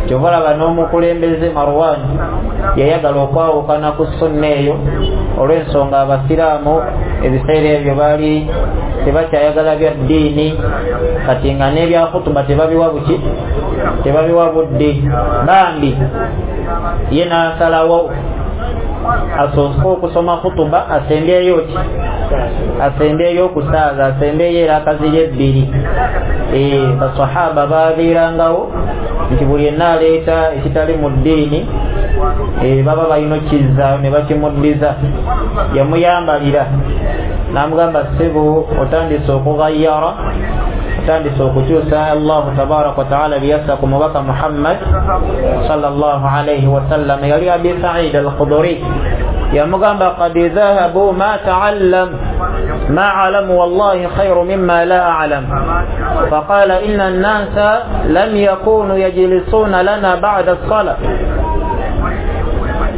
Kyova olaba n'omukulembeze Marwan yayagala okwawukana ku sunna eyo olw'ensonga abasiraamu ebiseera ebyo baali tebakyayagala bya ddiini, kati nga n'ebya khutuba tebabiwa buki? Tebabiwa budde. Bambi ye n'asalawo asooke okusoma khutuba asembyeyo ki? Asembyeyo okusaaza, asembyeyo eraka ziri ebbiri. Basahaba babeerangawo nti buli yenna aleeta ekitali mu ddiini baba balina okkizaayo ne bakimuddiza. Yamuyambalira n'amugamba ssebo otandise okugayyara, otandise okukyusa Allahu tabaraka wa taala byeyassa ku mubaka Muhammad sallallahu alayhi wasallam. Yali Abi Said al-Khudri yamugamba qad dhahabu ma ta'allam ma a'lamu wallahi khayru mimma la a'lam, faqala inna an-nasa lam yakunu yajlisuna lana ba'da as-salah.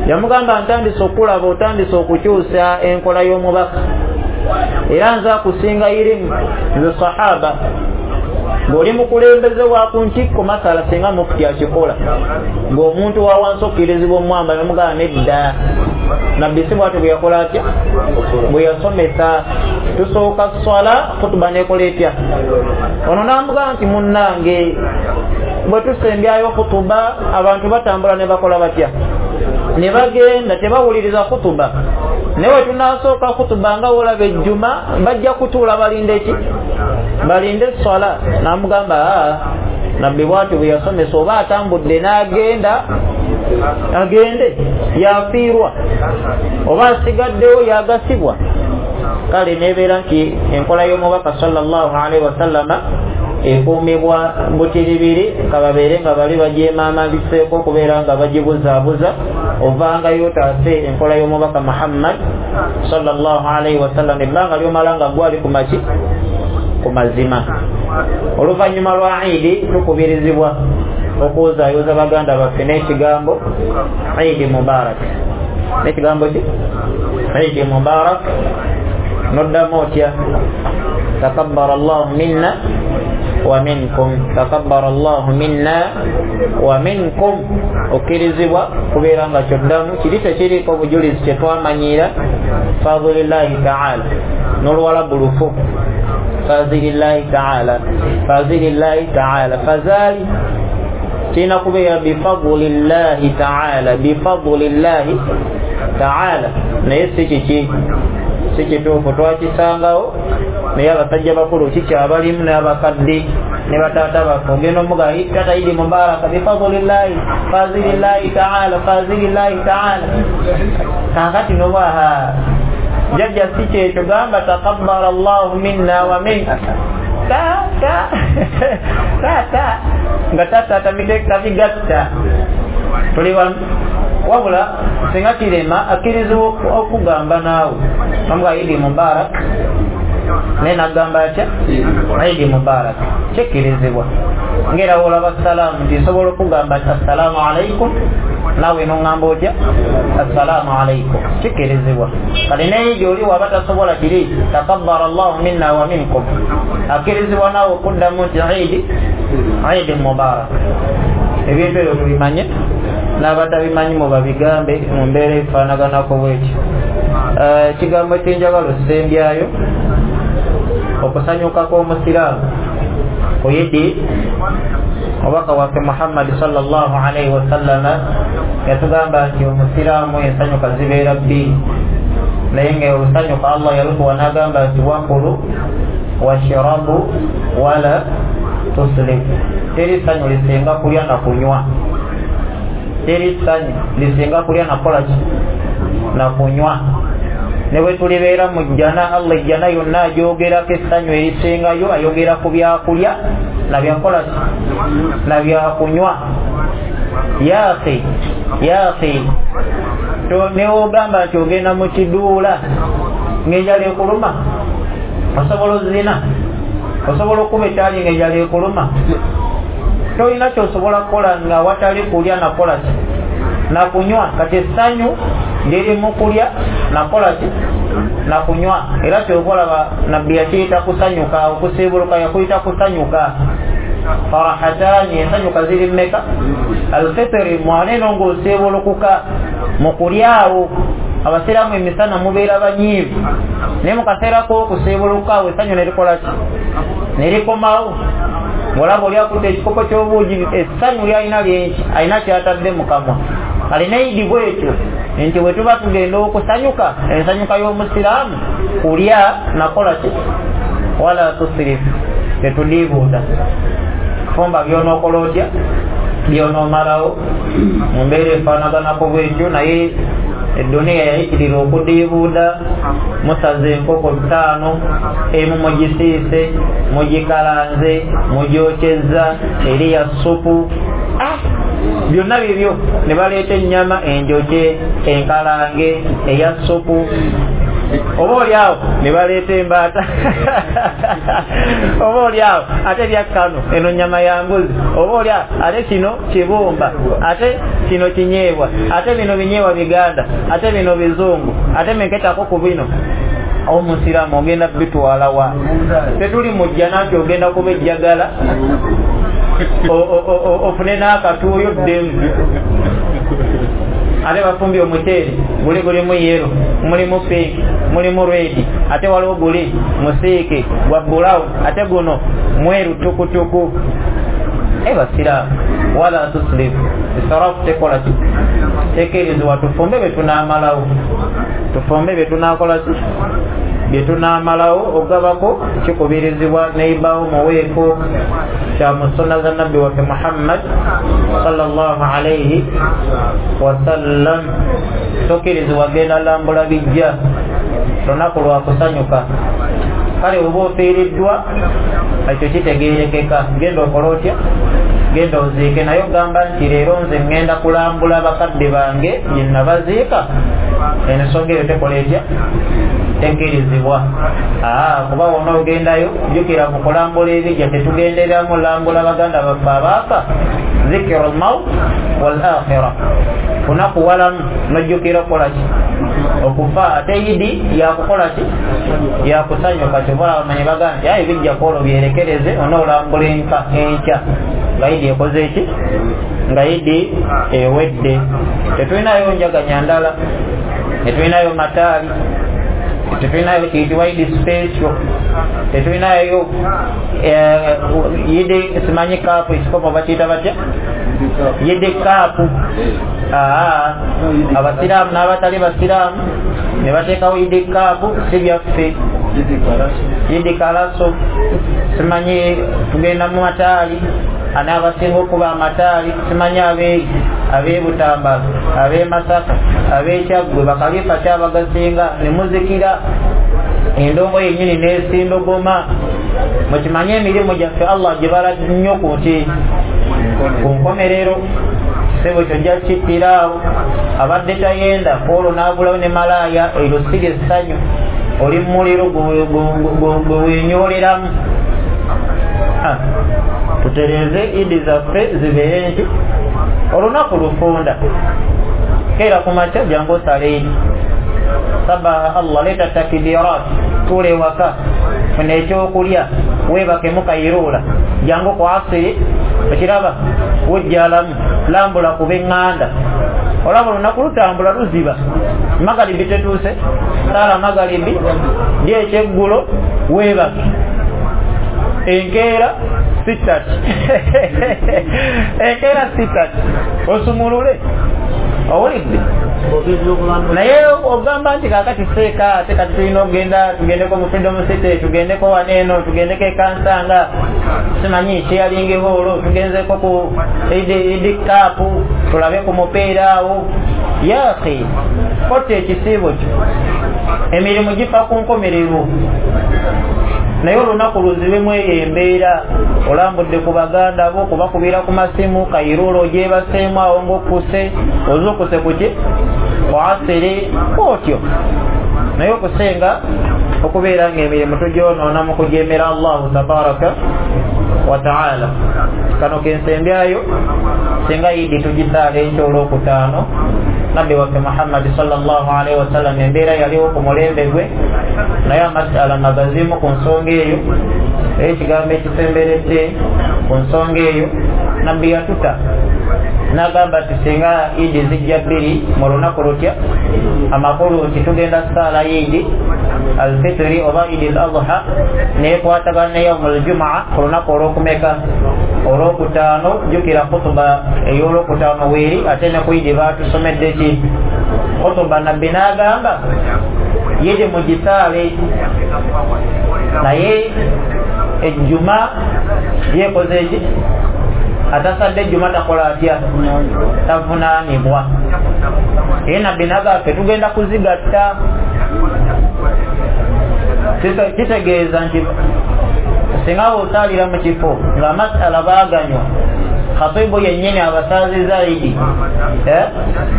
Yamugamba ntandise okulaba, otandise okukyusa enkola y'omubaka, era nze akusinga irimu nze sahaba. Ng'oli mukulembeze wa ku ntikko masala singa mufuti akikola, ng'omuntu wa wansi okkirizibwa omwamba namugamba nedda. Nabbi si bw'atyo bwe yakola atya? Bwe yasomesa tusooka swala khutuba n'ekola etya? Ono n'amugamba nti munnange bwe tusembyayo khutuba abantu batambula ne bakola batya? Ne bagenda tebawuliriza khutuba. Naye bwe tunaasooka khutuba nga wolaba ejjuma bajja kutuula balinde ki? Balinde swala. N'amugamba Nabbi bwatyo bwe yasomesa, oba atambudde n'agenda agende yafiirwa, oba asigaddewo yagasibwa. Kale nebeera nti enkola y'omubaka sallallahu alaihi wasallama ekuumibwa butiribiri, kababeere nga bali bagyemaamaliseeko okubeera nga bagibuzaabuza, ovangayo otaase enkola y'omubaka Muhammad sallallahu alaihi wasallam ebbanga lyomala nga gwali ku maki ku mazima. Oluvannyuma lwa Idi tukubirizibwa okuwozaayoza baganda baffe n'ekigambo Idi Mubarak. N'ekigambo ki? Idi Mubarak. Noddamu otya? Takabbara Allahu minna wa minkum, takabbara Allahu minna wa minkum. Okkirizibwa kubeera nga kyoddamu kiri tekiriiko bujulizi kye twamanyiira fadhilillahi taala, n'oluwalabu lufu fadhilillahi taala, fadhilillahi taala. Fazali kirina kubeera bifadlillahi taala, bifadlillahi taala, naye si kiki, si kituufu. Twakisangawo naye abasajja bakulu kikyabalimu n'abakadde ne bataata baffe, ogenda omuga tata Idi Mubaraka bifadlillahi fazilillahi taala, fazilillahi taala. Kaakati nobaha jajja si kyekyo, gamba takabbara Allahu minna wa minka, ta ta ta ta nga tata tabigatta. Tuli wabula singa kirema akkirizibwa okugamba naawe namuga Idi Mubarak, naye nagamba atya Idi Mubarak, kikkirizibwa. Ngera wolaba salaamu nti nsobola okugamba nti assalaamu alaikum, naawe noŋŋamba otya assalaamu alaikum, kikkirizibwa. Kale naye gyoli waba tasobola kiri takabbara Allahu minna wa minkum, akkirizibwa naawe okuddamu nti Idi Idi Mubarak. Ebintu ebyo tubimanye n'abatabimanyi mubabigambe mu mbeera efaanaganako bwekyo. Ekigambo kyenjagala ossembyayo, okusanyuka kw'omusiraamu ku Idi. Omubaka waffe Muhammad sallallahu alaihi wasallama yatugamba nti omusiraamu ensanyuka zibeera bbiri, naye nga olusanyuka Allah yalutuwa n'agamba nti wakulu washirabu wala tusrifu. Teri ssanyu lisinga kulya na kunywa, teri ssanyu lisinga kulya na kukola ki? Na kunywa. Ne bwe tulibeera mu jjana, Allah ejjana yonna agyogerako essanyu erisingayo, ayogera ku byakulya na byakola ki? Na byakunywa. Ya akhi, ya akhi, ne wogamba nti ogenda mu kiduula ng'enjala ekuluma, osobola ozina, osobola okuba ekyali ng'enjala ekuluma, tolina kyosobola kukola nga watali kulya nakola ki? Na kunywa. Kati essanyu liri mu kulya nakola ki? Na kunywa. Era kyokolaba Nabbi yakiyita kusanyuka, okusiibuluka yakuyita kusanyuka. Farahatani, ensanyuka ziri mmeka? Alfitiri, mwaneno ng'osiibulukuka mu kulyawo. Abasiraamu emisana mubeera banyiivu, naye mu kaseera k'okusiibuluka awo essanyu ne likola ki? Ne likomawo. Ng'olaba oli akutte ekikopo ky'obuugi, essanyu lyalina lyenki, alina kyatadde mu kamwa. Kale ne Idi bwetyo nti bwe tuba tugenda okusanyuka, ensanyuka y'omusiraamu kulya nakola ki? Wala tusirifu, tetudiibuuda. Fumba by'onookola otya, by'onoomalawo mu mbeera efaanaganako bwetyo. Naye eduniya yayitirira okudiibuuda, musaze enkoko ttaano, emu mugisiise, mugikalanze, mugyokyezza, eri ya ssupu, byonna bibyo. Ne baleeta ennyama enjokye, enkalange, eya ssupu, oba oli awo ne baleeta embaata oba oli awo ate lyakkano, eno nnyama ya mbuzi, oba oli awo ate kino kibumba, ate kino kinyeebwa, ate bino binyeebwa biganda, ate bino bizungu, ate menketako ku bino. Omusiraamu ogenda bitwala wa? Tetuli mu jjana nti ogenda kuba ejjagala ofune n'akatuuyo ddemu. Ate bafumbye omuceere guli gulimu yero, mulimu pinki, mulimu redi, ate waliwo guli musiike gwa bulawuni, ate guno mweru tukutuku. E basiraamu, wala tusrifu, israfu tekola ki? Tekeerezebwa. Tufumbe bye tunaamalawo, tufumbe bye tunaakola ki? Bye tunaamalawo ogabako kikubirizibwa neibawo muweeko kya mu sunna za nabbi waffe Muhammad sallallahu alaihi wasallam. Tokkirizibwa genda lambula bijja, lunaku lwa kusanyuka. Kale oba ofiiriddwa ekyo kitegeerekeka, genda okola otya? Genda oziike. Naye ogamba nti leero nze ŋŋenda kulambula bakadde bange gye nabaziika, ensonga eyo tekola etya? Tekkirizibwa. Aa, kuba wonna ogendayo jjukira mu kulambula ebijja tetugendereramu lambula baganda baffe abaafa, zikiru lmaut wal akhira, kunakuwalamu nojjukira okukola ki? Okufa. Ate idi yakukola ki? Yakusanyuka. Kyobola abamanyi bagamba nti ayi bijja kwolwo byerekereze onoolambula enka enkya nga idi ekoze ki? Nga idi ewedde. Tetulinayo njaganya ndala, tetulinayo mataali, tetulinayo kiyitibwa idi special, tetulinayo idi simanyi kaapu ekikopo bakiyita batya? Yidi kaapu. Aa, abasiraamu n'abatali basiraamu ne bateekawo idi kaapu, si byaffe. Idi kalaso, simanyi tugenda mu mataali, ani abasinga okuba amataali, simanyi abe ab'e Butambala, ab'e Masaka, ab'e Kyaggwe, bakalifa kyabagasinga ne muzikira endongo yennyini n'esindogoma. Mukimanye emirimu gyaffe Allah gibala nnyo ku nti ku nkomerero. Sebo kyojja kittira awo abadde tayenda kwolwo n'agulawo ne malaaya, eryo si ly'essanyu, oli mumuliro gwe weenyooleramu. Tutereeze idi zaffe zibeere nti olunaku lufunda, keera ku makya jangu osale idi, sabaha Allah, leeta takibirat, tuula ewaka, funa ekyokulya, weebakemu kayiruula, jangu ku asiri, okiraba wujjalamu, lambula ku b'eŋŋanda. Olaba olunaku lutambula luziba, magalibi tetuuse, saala magalibi, lya ekyeggulo, weebake. Enkeera sitati enkeera sitati osumulule, owulidde? Naye ogamba nti kaakati seeka ate kati tulina okugenda tugendeko mu Freedom City, tugendeko wano eno, tugendeko e Kansanga, simanyi Sharing Hall, tugenzeko ku idi kaapu tulabe ku mupiira awo. Ya akhi, kotta ekisiibo kyo, emirimu gifa ku nkomerero. Naye olunaku luzibemu eyo embeera, olambudde ku baganda bo, kubakubira ku masimu, kayiruula ogyebaseemu awo ng'okkuse, ozuukuse ku ki? Ku asiri, otyo. Naye okusinga okubeera ng'emirimu tugyonoona mu kujeemera Allahu tabaraka wa taala. Kano kensembyayo, singa idi tugisaala enkya olwokutaano, nabbi waffe Muhammad sallallahu alaihi wasallam embeera yaliwo ku mulembe gwe, naye amasala magazimu ku nsonga eyo, ekigambo ekisemberedde ku nsonga eyo, nabbi yatuta n'agamba nti singa idi zijja bbiri mu lunaku lutya, amakulu nti tugenda saala idi alfitri oba idi al adha neekwatagana ne yaumu aljumaa ku lunaku olwokumeka olwokutaano. Jjukira khutuba ey'olwokutaano weeri, ate ne ku idi baatusomedde ki? Khutuba. Nabbi n'agamba yidi mugisaale, naye ejjuma yeekoze eki? Atasadde ejjuma takola atya? Tavunaanibwa. Naye nabbi n'agamba tugenda kuzigatta, kitegeeza nti singa bw'osaalira mu kifo ng'amasala baaganywa, khatibu yennyini abasaaziza idi,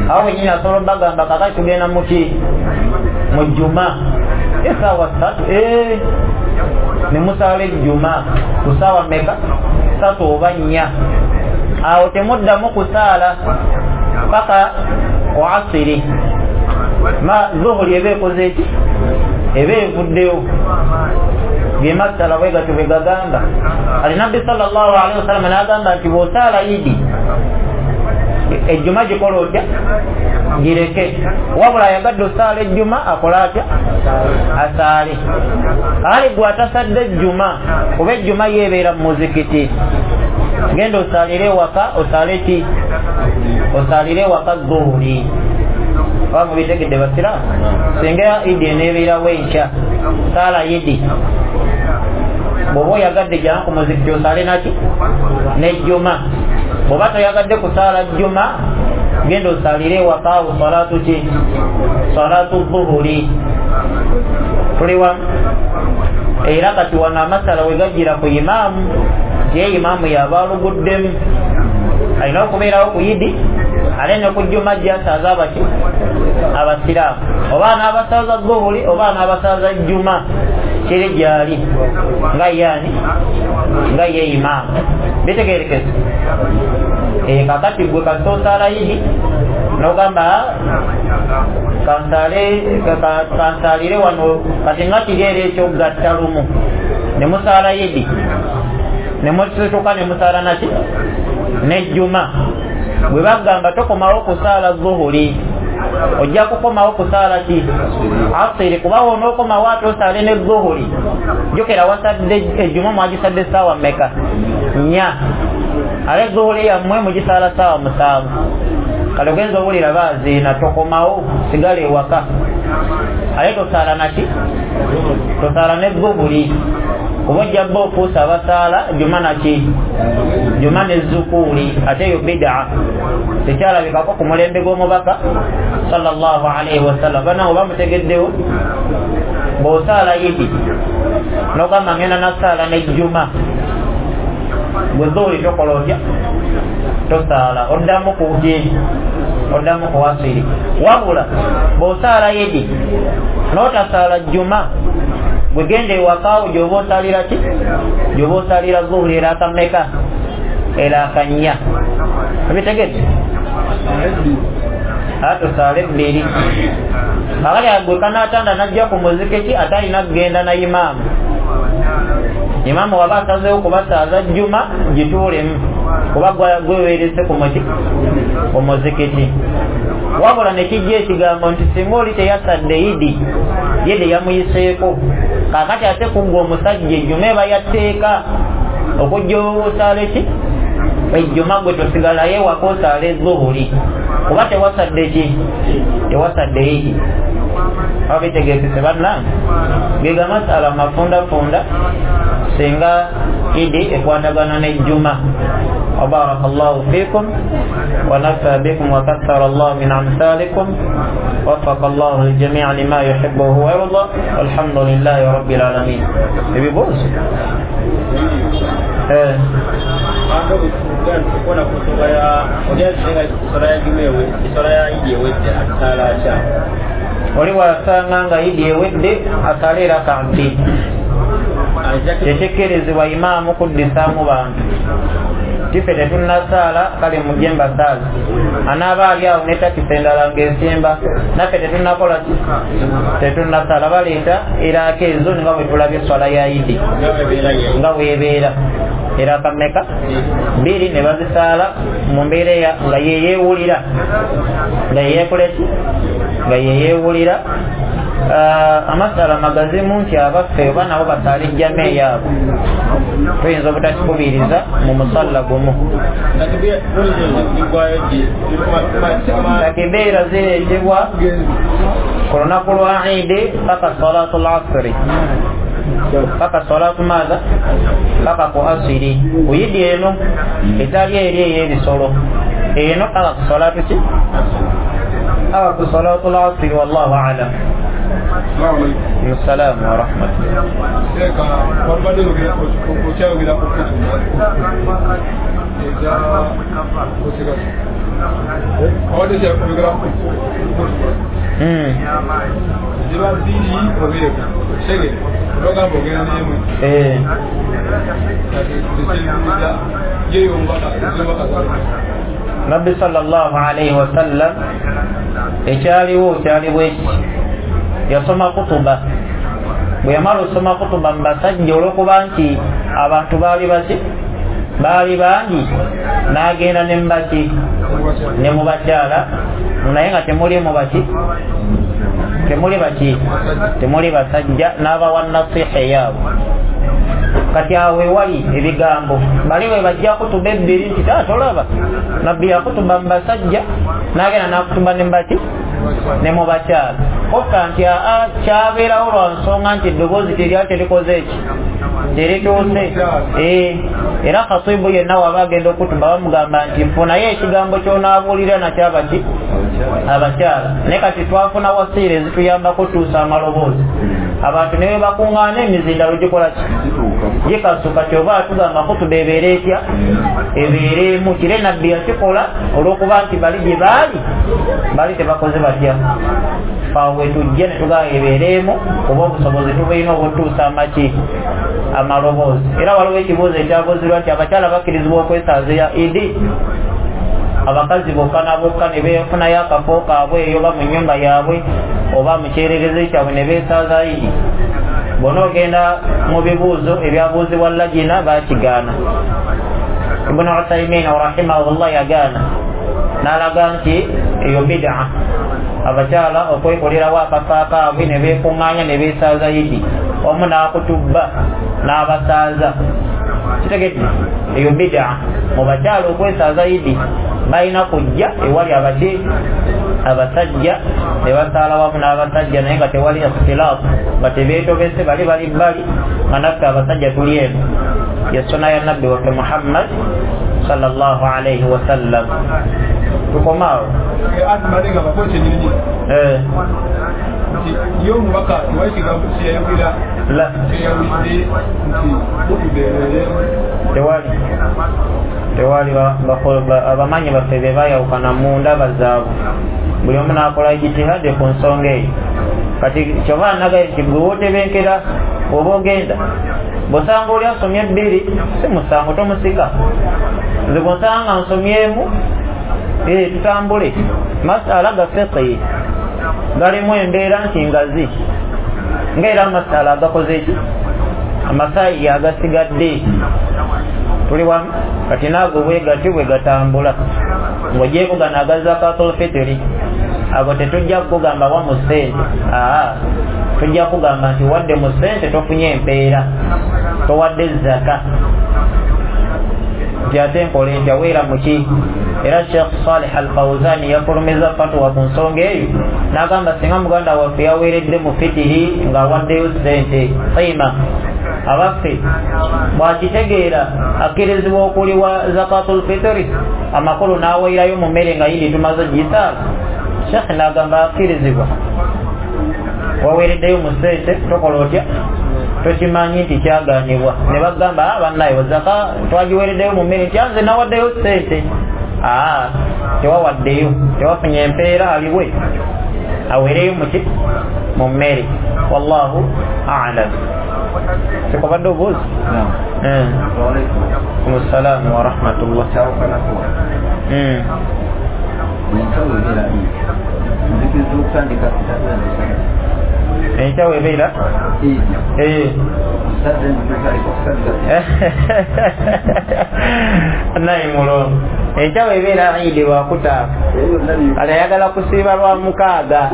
awo wennyini asobola obbagamba kakati tugenda muki? Mu jjuma essaawa ssatu, ne musaala ejjuma ku ssaawa mmeka? Ssatu oba nnya. Awo temuddamu kusaala paka ku asiri, ma zuhuri eba ekoze eki? Eba evuddewo. Ge masala bwe gatyo bwe gagamba. Ali nabbi sallallahu alaihi wasallam n'agamba nti bw'osaala idi ejjuma gikola otya? Gireke. Wabula ayagadde osaala ejjuma akola atya? Asaale. Ali gwe atasadde ejjuma, kuba ejjuma yeebeera mu muzikiti, genda osaalire ewaka, osaale ki? Osaalire ewaka zuhuri. Oba mubitegedde basiraamu? Singa idi eneebeerawo enkya, saala idi, bw'oba oyagadde jangu ku muzikiti osaale naki? Nejjuma. Bw'oba toyagadde kusaala jjuma, genda osaalire ewakaawo salatu ki? Salatu dhuhuri. Tuli wamu? Era kati wano amasala we gajjira ku imaamu, ye imaamu yaba aluguddemu, alina okubeerawo ku idi ate ne ku jjuma gyasaaza abaki? Abasiraamu. Oba anaabasaaza dhuhuri oba anaabasaaza jjuma, kiri gyali nga yaani nga ye imaamu. Bitegeerekese? E, kakati gwe kasita osaala idi nogamba kansaalire wano, kati nga kiri era ekyokugatta lumu ne musaala idi ne musituka ne musaala naki? Nejjuma. Bwe bagamba tokomawo kusaala zuhuri, ojja kukomawo kusaala ki? Asiri. Kuba onookomawo ate osaale ne zuhuri, jjukira wasadde ejjuma mwagisadde ssaawa mmeka? Nnya. Ate zuhuri yammwe mugisaala ssaawa musanvu. Kale ogenza owulira baaziina, tokomawo, sigala ewaka, ate tosaala naki? Tosaala ne zuhuri, kuba ojja bba ofuusa abasaala juma naki? Juma ne zukuuli. Ate eyo bidaa tekyalabikako ku mulembe gw'omubaka sallallahu alaihi wasallam. Bana oba mutegeddewo? Bw'osaala idi nogamba ngenda nasaala ne juma, gwe zuhuri tokola otya? Tosaala, oddamu kuki? Oddamu ku asiri. Wabula bw'osaala idi n'otasaala juma, gwe genda ewakaawo gy'oba osaalira ki? Gy'oba osaalira zuhuri eraaka mmeka? Eraaka nnya. Obitegedde? Ate osaale ebbiri. Kakati gwe kanaatanda n'ajja ku muzikiti ate alina kugenda na imaamu. Imaamu waba asazeewo kubasaaza jjuma, gituulemu, kuba gwe weerese ku muki? Ku muzikiti. Wabula ne kijja ekigambo nti singa oli teyasadde idi, yidi yamuyiseeko. Kaakati ate kuggwa omusajja ejjuma eba yatteeka okujja osaale ki? Ejjuma, gwe tosigalayo ewaka osaale zuhuri, kuba tewasadde ki? Tewasadde idi. Aba bitegeekese bannange? Gega masala mafundafunda singa idi ekwatagana n'ejjuma. وبارك الله فيكم ونفع بكم وكثر الله من أمثالكم، وفق الله الجميع لما يحبه ويرضى، والحمد لله رب العالمين. Ebibuuzo? Eh, oli wasanga nga idi ewedde asaale raka bbiri. Tekikkirizibwa imaamu kuddisaamu bantu. Tife tetunnasaala, kale mujje mbasaale. Anaaba ali awo ne takisi endala ng'esimba, naffe tetunnakola ki? Tetunnasaala. Baleeta eraaka ezo nga bwe tulabye esswala ya idi nga bw'ebeera. Eraaka mmeka? Bbiri ne bazisaala mu mbeera nga yeyeewulira, nga yeyeekola ki? Nga yeyeewulira. Amasala magazimu nti abaffe oba nabo basaala ejjama eyaabwe, tuyinza obutakikubiriza mu musalla gumu. Takibiira zireetebwa ku lunaku lwa Idi paka salatu lasiri, paka salatu maaza? Paka ku asiri. Ku idi eno etali eri ey'ebisolo, eno paka ku salatu ki? Paka ku salatu lasiri. Wallahu alam. Assalamu wa rahmatullah. Eh. Nabbi sallallahu alaihi wasallam ekyaliwo kyaliwo eki? Yasoma kutuba. Bwe yamala osoma kutuba mu basajja, olw'okuba nti abantu baali baki? Baali bangi, n'agenda ne mu baki? Ne mu bakyala, naye nga temuli mu baki? Temuli baki? Temuli basajja, n'abawa nasiha eyaabwe. Kati awo ewali ebigambo bali bwe bajja kutuba ebbiri nti taa tolaba nabbi yakutuba mu basajja n'agenda n'akutuba ne mu baki? Ne mu bakyala. Kokka nti aa kyabeerawo lwa nsonga nti eddoboozi teryali terikoze eki terituuse. Eh, era khatibu yenna waba agenda okutuba bamugamba nti funayo ekigambo ky'onaabuulira nakyo abaki abakyala. Naye kati twafuna wasiira ezituyambako okutuusa amaloboozi. Abantu ne bakuŋŋaana emizindalo gikola ki? Gikasuka. Kyova atugamba khutuba ebeere etya? Ebeeremu. Kire nabbi yakikola olw'okuba nti bali gye baali bali tebakoze batya. Faawe tujje ne tugamba ebeeremu kuba obusobozi tubulina obutuusa amaki amaloboozi. Era waliwo ekibuuzo ekyabuuzibwa nti abakyala bakkirizibwa okwesaaza Idi? Abakazi bokka na bokka ne beefunayo akafo kaabwe eyo oba mu nnyumba yaabwe oba mu kyererezi kyabwe ne beesaaza Idi. Bw'oba ogenda mu bibuuzo ebyabuuzibwa Lajina baakigaana. Ibn Uthaymin rahimahullah yagaana n'alaga nti eyo bid'a, abakyala okwekolerawo akafo kaabwe ne beekuŋŋaanya ne beesaaza Idi, omu n'akutubba n'abasaaza. Kitegedde? Eyo bid'a. Mu bakyala okwesaaza Idi balina kujja ewali abaki abasajja ne basaala wamu n'abasajja, naye nga tewali ikhtilaafu, nga tebeetobese, bali bali bbali nga naffe abasajja tuli eno. Ye sunna ya nabbi waffe Muhammad sallallahu alayhi wasallam. Tukomaawo. Eh. La tewali tewali abamanyi baffe be bayawukana mu ndaba zaabwe, buli omu n'akola ijtihadi ku nsonga eyo. Kati kyova nagaye nti gwe wootebenkera oba ogenda bw'osanga oli asomye ebbiri si musango, tomusika. Nze bw'osanga nsomyemu eh, tutambule. Masala ga fiqhi galimu embeera nti ngazi, ng'era amasala agakoze ki amasayi agasigadde tuli wamu. Kati naago bwe gati bwe gatambula ng'ogyeko gano aga zakatul fitiri, ago tetujja kugamba wa mu ssente, aa tujja kugamba nti wadde mu ssente tofunye empeera, towadde zaka. Nti ate nkola ntya weera muki? Era Sheikh Salih Al-Fawzani yafulumiza fatwa ku nsonga eyo n'agamba singa muganda waffe yaweeredde mu fitiri ng'awaddeyo ssente qiima, abaffe bw'akitegeera akkirizibwa okuliwa zakatul fitiri, amakulu n'aweerayo mu mmere nga yindi tumaze gisaala. Sheikh n'agamba akkirizibwa, waweereddeyo mu ssente tokola otya? Tokimanyi nti kyagaanibwa. Ne bagamba bannaye zaka twagiweereddeyo mu mmere, nti nze nawaddeyo ssente. Aa tewawaddeyo, tewafunye empeera, aliwe aweereyo muki mu mmere. Wallahu a'lam. Sikobadde obuuzi? Assalamu wa rahmatullah. Enkyawo ebeera naye mulongo, enkyawo ebeera Idi lwakutaano, kati ayagala kusiiba lwa mukaaga.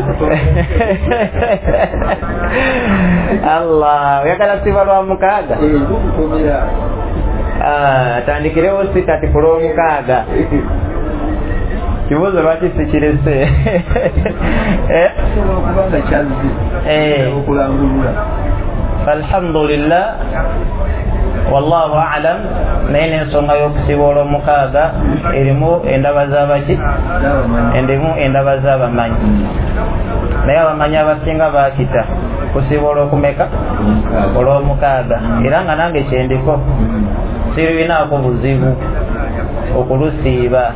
Allah, oyagala kusiiba lwa mukaaga? Atandikirewo si kati ku lwomukaaga. Kibuuzo lwaki sikirese? Alhamdulillah, wallahu a'lam. Naye n'ensonga y'okusiiba olw'omukaaga erimu endaba z'abaki erimu endaba z'abamanyi, naye abamanyi abasinga baakita kusiiba olw'okumeka olw'omukaaga. Era nga nange kyendiko sirinaako buzibu okulusiiba,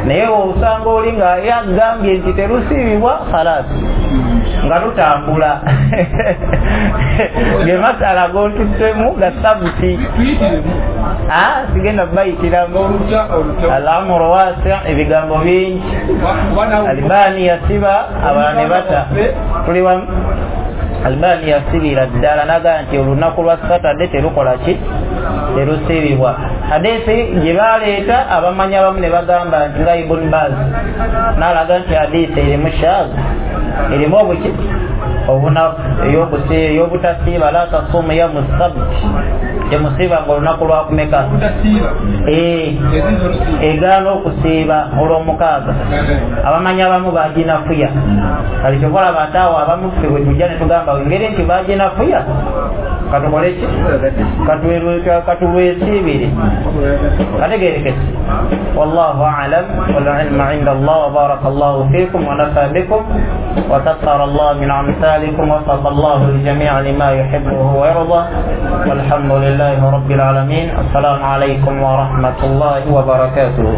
naye osanga oli nga yagambye nti terusiibibwa khalas nga lutambula. Ge masala gontuttemu ga sabuti, sigenda bayitiramu. Al-amru wasi', ebigambo bingi. Albani yasiba abalala ne bata. Tuli wamu. Albani yasibira ddala n'agamba nti olunaku lwa Saturday terukola ki? Terusiibibwa. Hadiisi gye baleeta abamanyi abamu ne bagamba nti nga Ibn Baz n'alaga nti hadiisi erimu shaazi, erimu obuki Obunafu ey'obutasiiba la tasuumu yawmu sabt, temusiibanga olunaku lwakumeka egaana okusiiba olw'omukaaga. Abamanyi abamu baginafuya, kale kyova olaba ate awo abamu ffe bwe tujja ne tugamba engeri nti baginafuya katukole ki, katulwesiibire. Kategeerekese. Wallahu a'lam, wal ilmu inda Allah, wa barakallahu fikum wa nafa bikum wa kathara Allah min amsalikum wa wafaqa Allah al-jami'a lima yuhibbuhu wa yarda, walhamdulillahi rabbil alamin. Assalamu alaykum wa rahmatullahi wa barakatuh.